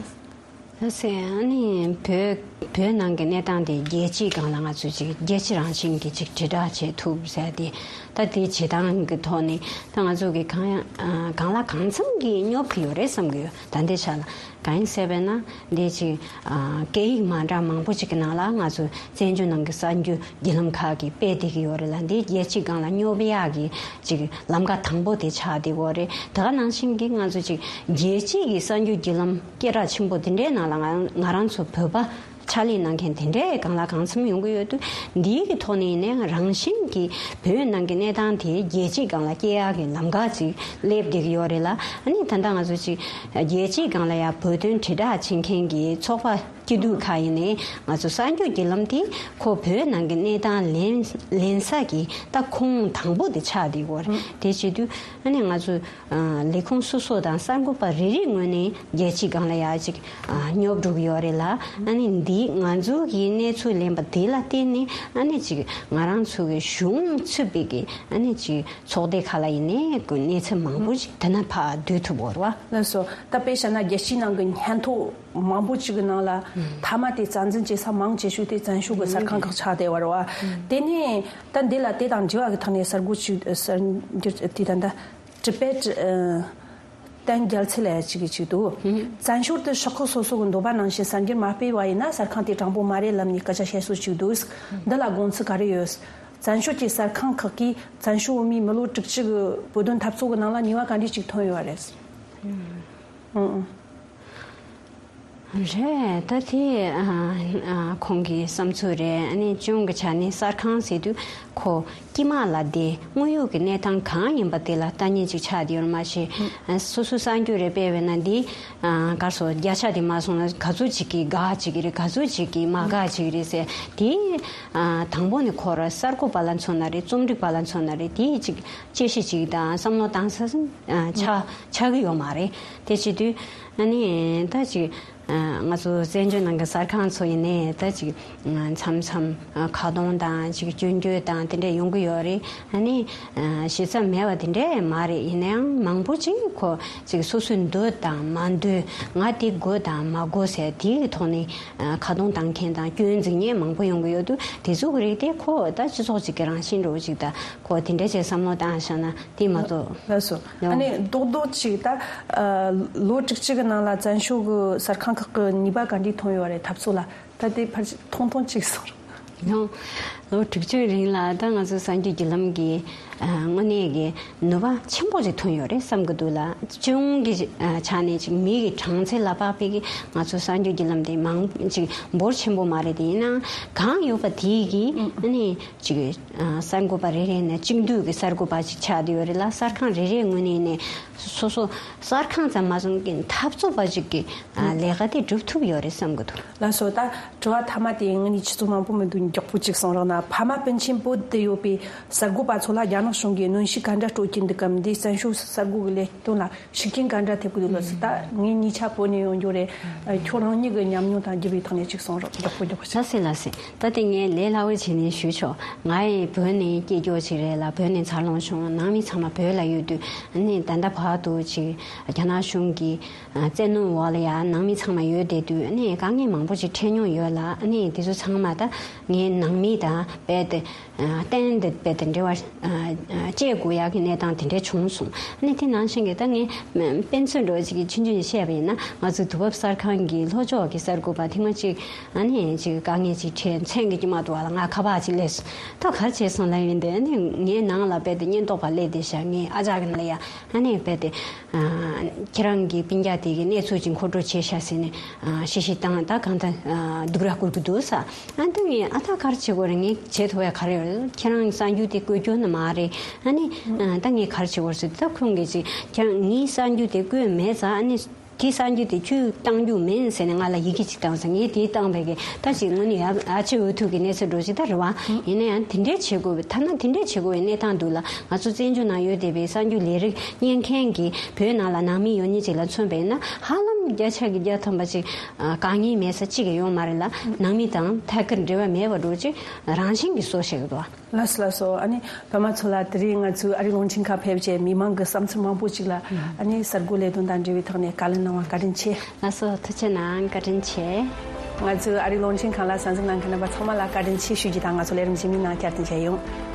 ལགས་སེ། ཨ་ནི་བོད་བོད་ནང་གི་གནས་སྟངས་དེ་རྒྱལ་སྤྱིའི་སྒང་ལ་ང་ཚོས་ཅིག་རྒྱལ་སྤྱི་རང་བཞིན་གྱི་ཅིག་དྲིལ་བསྒྲགས་བྱེད་ཐུབ་ཟེར་ཏེ། ད་དེ་བྱེད་སྟངས་ཀྱི་ཐོག་ནས་ད་ང་ཚོ་གི་གང་ཡང་ཨ་གང་ལ་གང་འཚམ་གྱིས་སྙོབ་ཀྱི་ཡོད་རེད་བསམ་གྱི་ཡོད། ད་ལྟའི་ཆ་ལ་གང་ཡིན་ཟེར་བས་ན། འདི་ཅིག་ཨ་སྐད་ཡིག་མ་འདྲ་མང་པོ་ཅིག་གི་ནང་ལ་ང་ཚོ་བཙན་བྱོལ་ནང་གི་གསར་འགྱུར་བརྒྱུད་ལམ་ཁག་གིས་སྤེལ་བསྡད་ཀྱི་ཡོད་རེད་ལ། འདི་རྒྱལ་སྤྱིའི་སྒང་ལ་སྙོབ་ཡག་གི་ཅིག་ལམ་ཁ་དང་པོ་དེ་ཆགས་བསྡད་ཡོད་རེད། དེ་ག་ནང་བཞིན་གྱི་ང་ཚོ་ཅིག་རྒྱལ་སྤྱིའི་གི་གསར་འགྱུར་བརྒྱུད་ལམ་སྐད་གྲགས་ཆེན་པོ་དེ་འདྲའི་ནང་ལ་ང་ང་རང་ཚོ་བོད་པ་ཕྱག་ལས་གནང་མཁན་དེ་འདྲའི་གང་ལ་གང་འཚམ་ཡོང་གི་ཡོད་དུས། འདིའི་གི་ཐོག་ནས་ཡིན་ནའང་རང་བཞིན་གྱིས་བོད་ནང་གི་གནས་སྟངས་དེ་རྒྱལ་སྤྱིའི་སྒང་ལ་སྐྱེལ་ཡག་གི་ལམ་ཁ་ཅིག་སླེབས་བསྡད་ཀྱི་ཡོད་རེད་ལ། ཨ་ནི་ད་ལྟ་ང་ཚོ་ཅིག་རྒྱལ་སྤྱིའི་སྒང་ལ་ཡང་བོད་དོན་དྲིལ་བསྒྲགས་བྱེད་མཁན་གྱི་ཚོགས་པ་སྐྱིད་སྡུག་ཁག་ཡིན་ནའི་ང་ཚོ་གསར་འགྱུར་བརྒྱུད་ལམ་དེ་ཁོ་བོད་ནང་གི་གནས་སྟངས་ལེན་ལེན་ས་གི་ད་ཁོངས་དང་པོ་དེ་ཆགས་བསྡད་ཡོད་རེད། དེ་བྱེད་དུས་ཨ་ནི་ང་ཚོ་ཨ་ལས་ཁུངས་སོ་སོ་དང་གསར་འགོད་པ་རེ་རེའི་ངོས་ནས་རྒྱལ་སྤྱིའི་སྒང་ལ་ཡ་ཅིག་ཨ་སྙོབ་འགྲོ་གི་ཡོད་རེད་ལ། ཨ་ནི་འདི་ང་ཚོ་གི་གནས་ཚུལ་ལེན་པ་དེ་ལ་བརྟེན་ནས་ཨ་ནི་ཅིག་ང་རང་ཚོ་གི་གཞུང་ཚུད་པའི་གི་ཨ་ནི་ཅིག་ཚོགས་སྡེ་ཁག་ལ་ཡིན་ནའི་གི་གནས་ཚུལ་མང་པོ་ཅིག་དེ་ན་ཕར་བསྡུ་ཐུབ་ཡོད་རེད་བ། ལགས་སོ། ད་དཔེ་བཞག་ན་རྒྱལ་སྤྱིའི་ནང་གི་སྙན་ཐོ་མང་པོ་ཅིག་གི་ནང་ལ་མཐའ་མ་དེ་རྩ་འཛིན་བྱེད་ས་མང་ཆེ་ཤོས་དེ་བཙན་བྱོལ་གི་གསར་ཁང་ཁག་ཆགས་བསྡད་ཡོད་རེད་བ། དེ་ནས་ད་འདི་ལ་དེ་དང་འབྲེལ་བ་གི་ཐོག་ནས་གསར་འགོད་ཅིག་གསར་འགྱུར་དེ་ད་ལྟ་ཊི་བེཊ་ཨ་བསྟན་རྒྱལ་མཚན་ལབ་ཡ་ཅིག་གིས་ཅིག་འདུག་བཙན་བྱོལ་དུ་ཤོག་ཁག་སོ་སོ་གི་འདོད་པ་ནང་བཞིན་གསར་འགྱུར་མ་སྤེལ་བ་ཡིན་ན་གསར་ཁང་དེ་དྲང་པོ་མ་རེད་ལབ་ནས་སྐད་ཆ་བཤད་སྲོལ་ཅིག་འདུག་འདི་ལ་དགོངས་ཚུལ་ག་རེ་ཡོད། བཙན་བྱོལ་གྱི་གསར་ཁང་ཁག་གིས་བཙན་བྱོལ་བོད་མིའི་མི་ལོ་དྲུག་ཅུ་གི་བོད་དོན་འཐབ་རྩོད་ཀྱི་ནང་ལ་ནུས་པ་ག་འདྲས་ཅིག་ཐོན་ཡོད་རེད། ཨང་། རེད། ད་དེ་ཨ་ཨ་ཁོང་གི་བསམ་ཚུལ་རེད། ཨ་ནི་གཅིག་གི་ཆ་ནས་གསར་ཁང་ཟེར་དུས་ཁོ་དཀྱིལ་མ་ལ་དེ་དངོས་ཡོད་ཀྱི་གནས་སྟངས་གང་ཡིན་པ་དེ་ལ་ལྟ་མཁན་ཅིག་ཆགས་བསྡད་ཡོད་མ་གཞི། ཨ་སོ་སོའི་གསར་འགྱུར་རེ་སྤེལ་བས་ན་འདི་ཨ་ག་རེ་ཟེར། བརྒྱ་ཆ་དེ་མ་སོང་ན་ག་ཚོད་ཅིག་གིས་དགའ་བྱེད་ཀྱི་རེད། ག་ཚོད་ཅིག་གིས་མ་དགའ་བྱེད་ཀྱི་རེད་ཟེར། དེ་ཨ་དང་པོ་ནས་ཁོ་རང་གསར་འགོད་པ་ལ་མཚོན་ན་རེད། རྩོམ་སྒྲིག་པ་ལ་མཚོན་ན་རེད། དེ་ཅིག་དཔྱད་གཞི་ཅིག་དང་བསམ་བློ་བཏང་ས་ཨ་ཆགས་ཆགས་ཀྱི་ཡོད་མ་རེད། དེ་བྱེད་དུས་ཨ་ནི་ད་ཅིག་ཨ་ང་ཚོ་བཙན་བྱོལ་ནང་གི་གསར་ཁང་ཚོ་ཡིན་ནའི་ད་ཅིག་ཨ་མཚམས་མཚམས་ཨ་ཁ་རྡུང་དང་ཅིག་སྐྱོན་བརྗོད་དང་དེ་འདྲ་ཡོང་གི་ཡོད་རེད། ཨ་ནི་ཨ་ཞེ་ས་མེད་པ་དེ་འདྲ་མ་རེད། ཡིན་ནའང་མང་པོ་ཅིག་ཁོ་ཅིག་སོ་སོའི་འདོད་དང་མ་འདོད། ང་དེ་དགོས་དང་མ་དགོས་ཟེར་དེ་གི་ཐོག་ནས་ཨ་ཁ་རྡུང་བཏང་མཁན་དང་སྐྱོན་འཛུགས་མཁན་མང་པོ་ཡོང་གི་ཡོད་དུས། དེ་ཚོ་གི་རིགས་དེ་ཁོ་ད་སྤྱི་ཚོགས་ཅིག་གི་རང་བཞིན་འདྲ་བོ་ཅིག་ད་ཁོ་དེ་འདྲ་བྱས་བསམ་བློ་བཏང་བཞག་ན་དེ་མ་གཏོགས། ལགས་སོ། ཡང་ཨ་ནི་རྡོག་རྡོག་ཅིག་ད་ཨ་ལོ་དྲུག་ཅུ་གི་ནང་ལ་བཙན་བྱོལ་གི་གསར་ཁང་ཁག་གི་ནུས་པ་ག་འདྲས་ཐོན་ཡོད་རེད། འཐབ་རྩོད་ལ་ད་དེ་ཕར་ཅིག་ཐུང་ཐུང་ཅིག་གསུངས་རོགས། ཡང་ལོ་དྲུག་ཅུའི་རིང་ལ་ད་ང་ཚོ་གསར་འགྱུར་བརྒྱུད་ལམ་གྱི་ཨ་དངོས་གནས་ཀྱི་ནུས་པ་ཆེན་པོ་ཅིག་ཐོན་ཡོད་རེད་བསམ་གྱི་འདུག་ལ། གཅིག་གི་ཨ་ཆ་ནས་ཅིག་མི་གི་གྲངས་ཚད་ལ་དཔག་པའི་གི་ང་ཚོ་གསར་འགྱུར་བརྒྱུད་ལམ་དེ་མང་ཅིག་འབོར་ཆེན་པོ་མ་རེད་དེ། ཡིན་ནའང་གང་ཡོད་པ་དེ་གི་ཨ་ནི་ཅིག་ཨ་གསར་འགོད་པ་རེ་རེ་ནས་གཅིག་འདུས་ཀྱི་གསར་འགོད་པ་ཅིག་ཆགས་བསྡད་ཡོད་རེད་ལ། གསར་ཁང་རེ་རེའི་ངོས་ནས་ནས་སོ་སོ་གསར་ཁང་ཙམ་མ་ཟད་ཀྱི་འཐབ་རྩོད་པ་ཅིག་གི་ཨ་ལས་ཀ་དེ་སྒྲུབ་ཐུབ་ཡོད་རེད་བསམ་གྱི་འདུག་ལགས་སོ། ད་དྲི་བ་མཐའ་མ་དེ་ངས་ནི་ཆུ་ཚོད་མང་པོ་མི་འདུག་མགྱོགས་པོ་ཅིག་གསུང་རོགས་གནང་། ཕ་མ་སྤུན་མཆེད་བོད་དུ་ཡོད་པའི་གསར་འགོད་པ་ཚོ་ལ་རྒྱ་ནག་གཞུང་གིས་གནོན་ཤུགས་ག་འདྲ་སྤྲོད་ཀྱིན་འདུག་གམ། འདིས་བཙན་བྱོལ་གསར་འགོད་ཀྱི་ལས་དོན་ལ་ཤུགས་རྐྱེན་ག་འདྲ་ཐེབས་ཀྱི་འདུག་ལགས་སོ། ད་ངས་གཉིས་ཆ་བོད་ནས་ཡོང་རྒྱུ་རེད། ཨ་ཁྱོད་རང་ཉིད་ཀྱི་ཉམས་མྱོང་དང་བརྒྱུད་པའི་ཐོག་ནས་ཅིག་གསུང་རོགས། མགྱོགས་པོ་མགྱོགས་པོ་ཅིག་ལགས་སེ་ལགས་སེ། ད་དེ་ངས་ལས་སླ་བོ་བྱས་ནས་ཞུས་ཆོག་ང་ཡི་བོད་ནས་སྐྱེས་སྐྱོ་ཅིག་རེད་ལ། བོད་ནས་འཚར་ལོངས་བྱུང་། ནང་མི་ཚང་མ་བོད་ལ་ཡོད་དུས་ཨ་ནི་ད་ལྟ་བར་དུ་ཅིག་རྒྱ་ནག་གཞུང་གི་ཨ་བཙན་གནོན་འོག་ལ་ཡ་ནང་མི་ཚང་མ་ཡོད་བསྡད་དུས་ཨ་ནི་དཀའ་ངལ་མང་པོ་ཅིག་འཕྲད་མྱོང་ཡོད་ལ། ཨ་ནི་དེ་ཚོ་ཚང་མ་ད་ངའི་ནང་མི་དང་རྦད་དེ་ཨ་གཏན་དུ་རྦད་དེ་འབྲེལ་བ་ཨ་ཨ་བཅད་དགོས་ཡག་གི་གནས་སྟངས་དེ་འདྲ་བྱུང་སོང་། ཨ་ནི་དེ་ནང་བཞིན་གྱི་ད་ངས་དཔེ་མཚོན་འདྲ་བོ་ཅིག་གི་ཆུང་ཆུང་ཅིག་བཤད་པ་ཡིན་ན། ང་ཚོའི་དུས་བབ་གསར་ཁང་གི་ལྷོ་ཕྱོགས་ཀྱི་གསར་འགོད་པ་ཐེངས་མ་གཅིག་ཨ་ནི་ཅིག་དཀའ་ངལ་ཅིག་འཕྲད། མཚན་གྱི་ཅིག་མ་གཏོགས་པ་ལ་ང་ཁ་པར་ཅིག་སླེབས་སོང་། ད་ག་རེ་བྱས་སོང་ལབ་ཡིན་ཏེ། ཨ་ནི་ངའི་ནང་ལ་རྦད་དེ་ཉེན་རྟོག་པ་སླེབས་བསྡད་ཤག་ངའི་ཨ་ཅག་གི་ནང་ལ་ཡ། ཨ་ནི་རྦད་དེ་ཨ་ཁྱེད་རང་གི་སྤུན་ཀྱག་དེ་གི་གནས་ཚུལ་ཅིག་མཁོ་སྤྲོད་བྱས་ཤག་ཟེར་ནས་ཨ་གཤེ་གཤེ་བཏང་། ད་གང་ལྟར་ཨ་སྡུག་ར་བསྐུལ་གྱི་འདུག་ས། ཨ་ནི་ངས་ཨ་ད་ག་རེ་བྱེད་དགོས་རེད། ངས་བྱེད་ཐུབ་ཡ་ག་རེ་ཡོད་རེད། ཁྱེད་རང་གི་གསར་འགྱུར་དེ་བཀོད་རྒྱུ་ནི་མ་རེད། ཨ་ནི་ཨ་ད་ངས་ག་རེ་བྱེད་དགོས་རེད་ཟེར། ད་ཁོང་གིས་ཅིག་ཁྱེད་རང་ངའི་གསར་འགྱུར་དེ་བཀོད་མེད་ཙང་། ཨ་ནི་ དེ་གསར་འགྱུར་དེ་བཅུད་བཏང་རྒྱུ་མིན་ཟེར་ནས་ང་ལ་ཡི་གེ་ཅིག་བཏང་སོང་། ངས་དེ་བཏང་བས་ཀྱི་ད་ཅིག་དངོས་གནས་ཡ་ཨ་ཅེ་འུ་ཐུག་གི་གནས་ཚུལ་འགྲོ་ཅིག་ད་རེད་བ། ཡིན་ན་ཡང་དེ་འདྲས་བྱེད་དགོས་པའི་ཐ་ན་དེ་འདྲས་བྱེད་དགོས་པའི་གནས་སྟངས་འདུག་ལ། ང་ཚོ་བཙན་བྱོལ་ནང་ཡོད་བསྡད་པའི་གསར་འགྱུར་ལས་རིགས་གཉེར་མཁན་གྱི་བོད་ནང་ལ་ནང་མི་ཡོད་མཁན་ཅིག་ལ་མཚོན་པ་ཡིན་ན། ཧ་ལམ་བརྒྱ་ཆ་གི་བརྒྱ་ཐམ་པ་ཅིག་དཀའ་ངལ་མེད་ས་གཅིག་ཀྱང་ཡོད་མ་རེད་ལ། ནང་མི་དང་ཐད་ཀར་འབྲེལ་བ་མེད་པ་འདྲ་ཅིག་རང་བཞིན་གྱིས་བཟོ་བཞག་གི་འདུག་བ། ལགས་སོ་ལགས་སོ། ཨ་ནི་པདྨ་མཚོ་ལགས། དེ་རིང་ང་ཚོའི་ཨ་རིའི་རླུང་འཕྲིན་ཁང་ཕེབས་བྱས་མི་མང་གི་བསམ་ཚུལ་མང་པོ་ཅིག་ལ་ཨ་ནི་གསར་འགོད་ལས་དོན་དང་འབྲེལ་བའི་ཐོག་ནས་བཀའ་ལན་གནང་བར་བཀའ་དྲིན་ཆེ། ལགས་སོ། ཐུགས་རྗེ་གནང་། བཀའ་དྲིན་ཆེ། ང་ཚོའི་ཨ་རིའི་རླུང་འཕྲིན་ཁང་ལ་གསན་གཟིགས་གནང་མཁན་རྣམ་པ་ཚང་མ་ལ་བཀའ་དྲིན་ཆེ་ཞུ་རྒྱུ་དང་། ང་ཚོ་ལས་རིམ་གཞན་མིན་ནང་བསྐྱར་དུ་མཇལ་ཡོང་།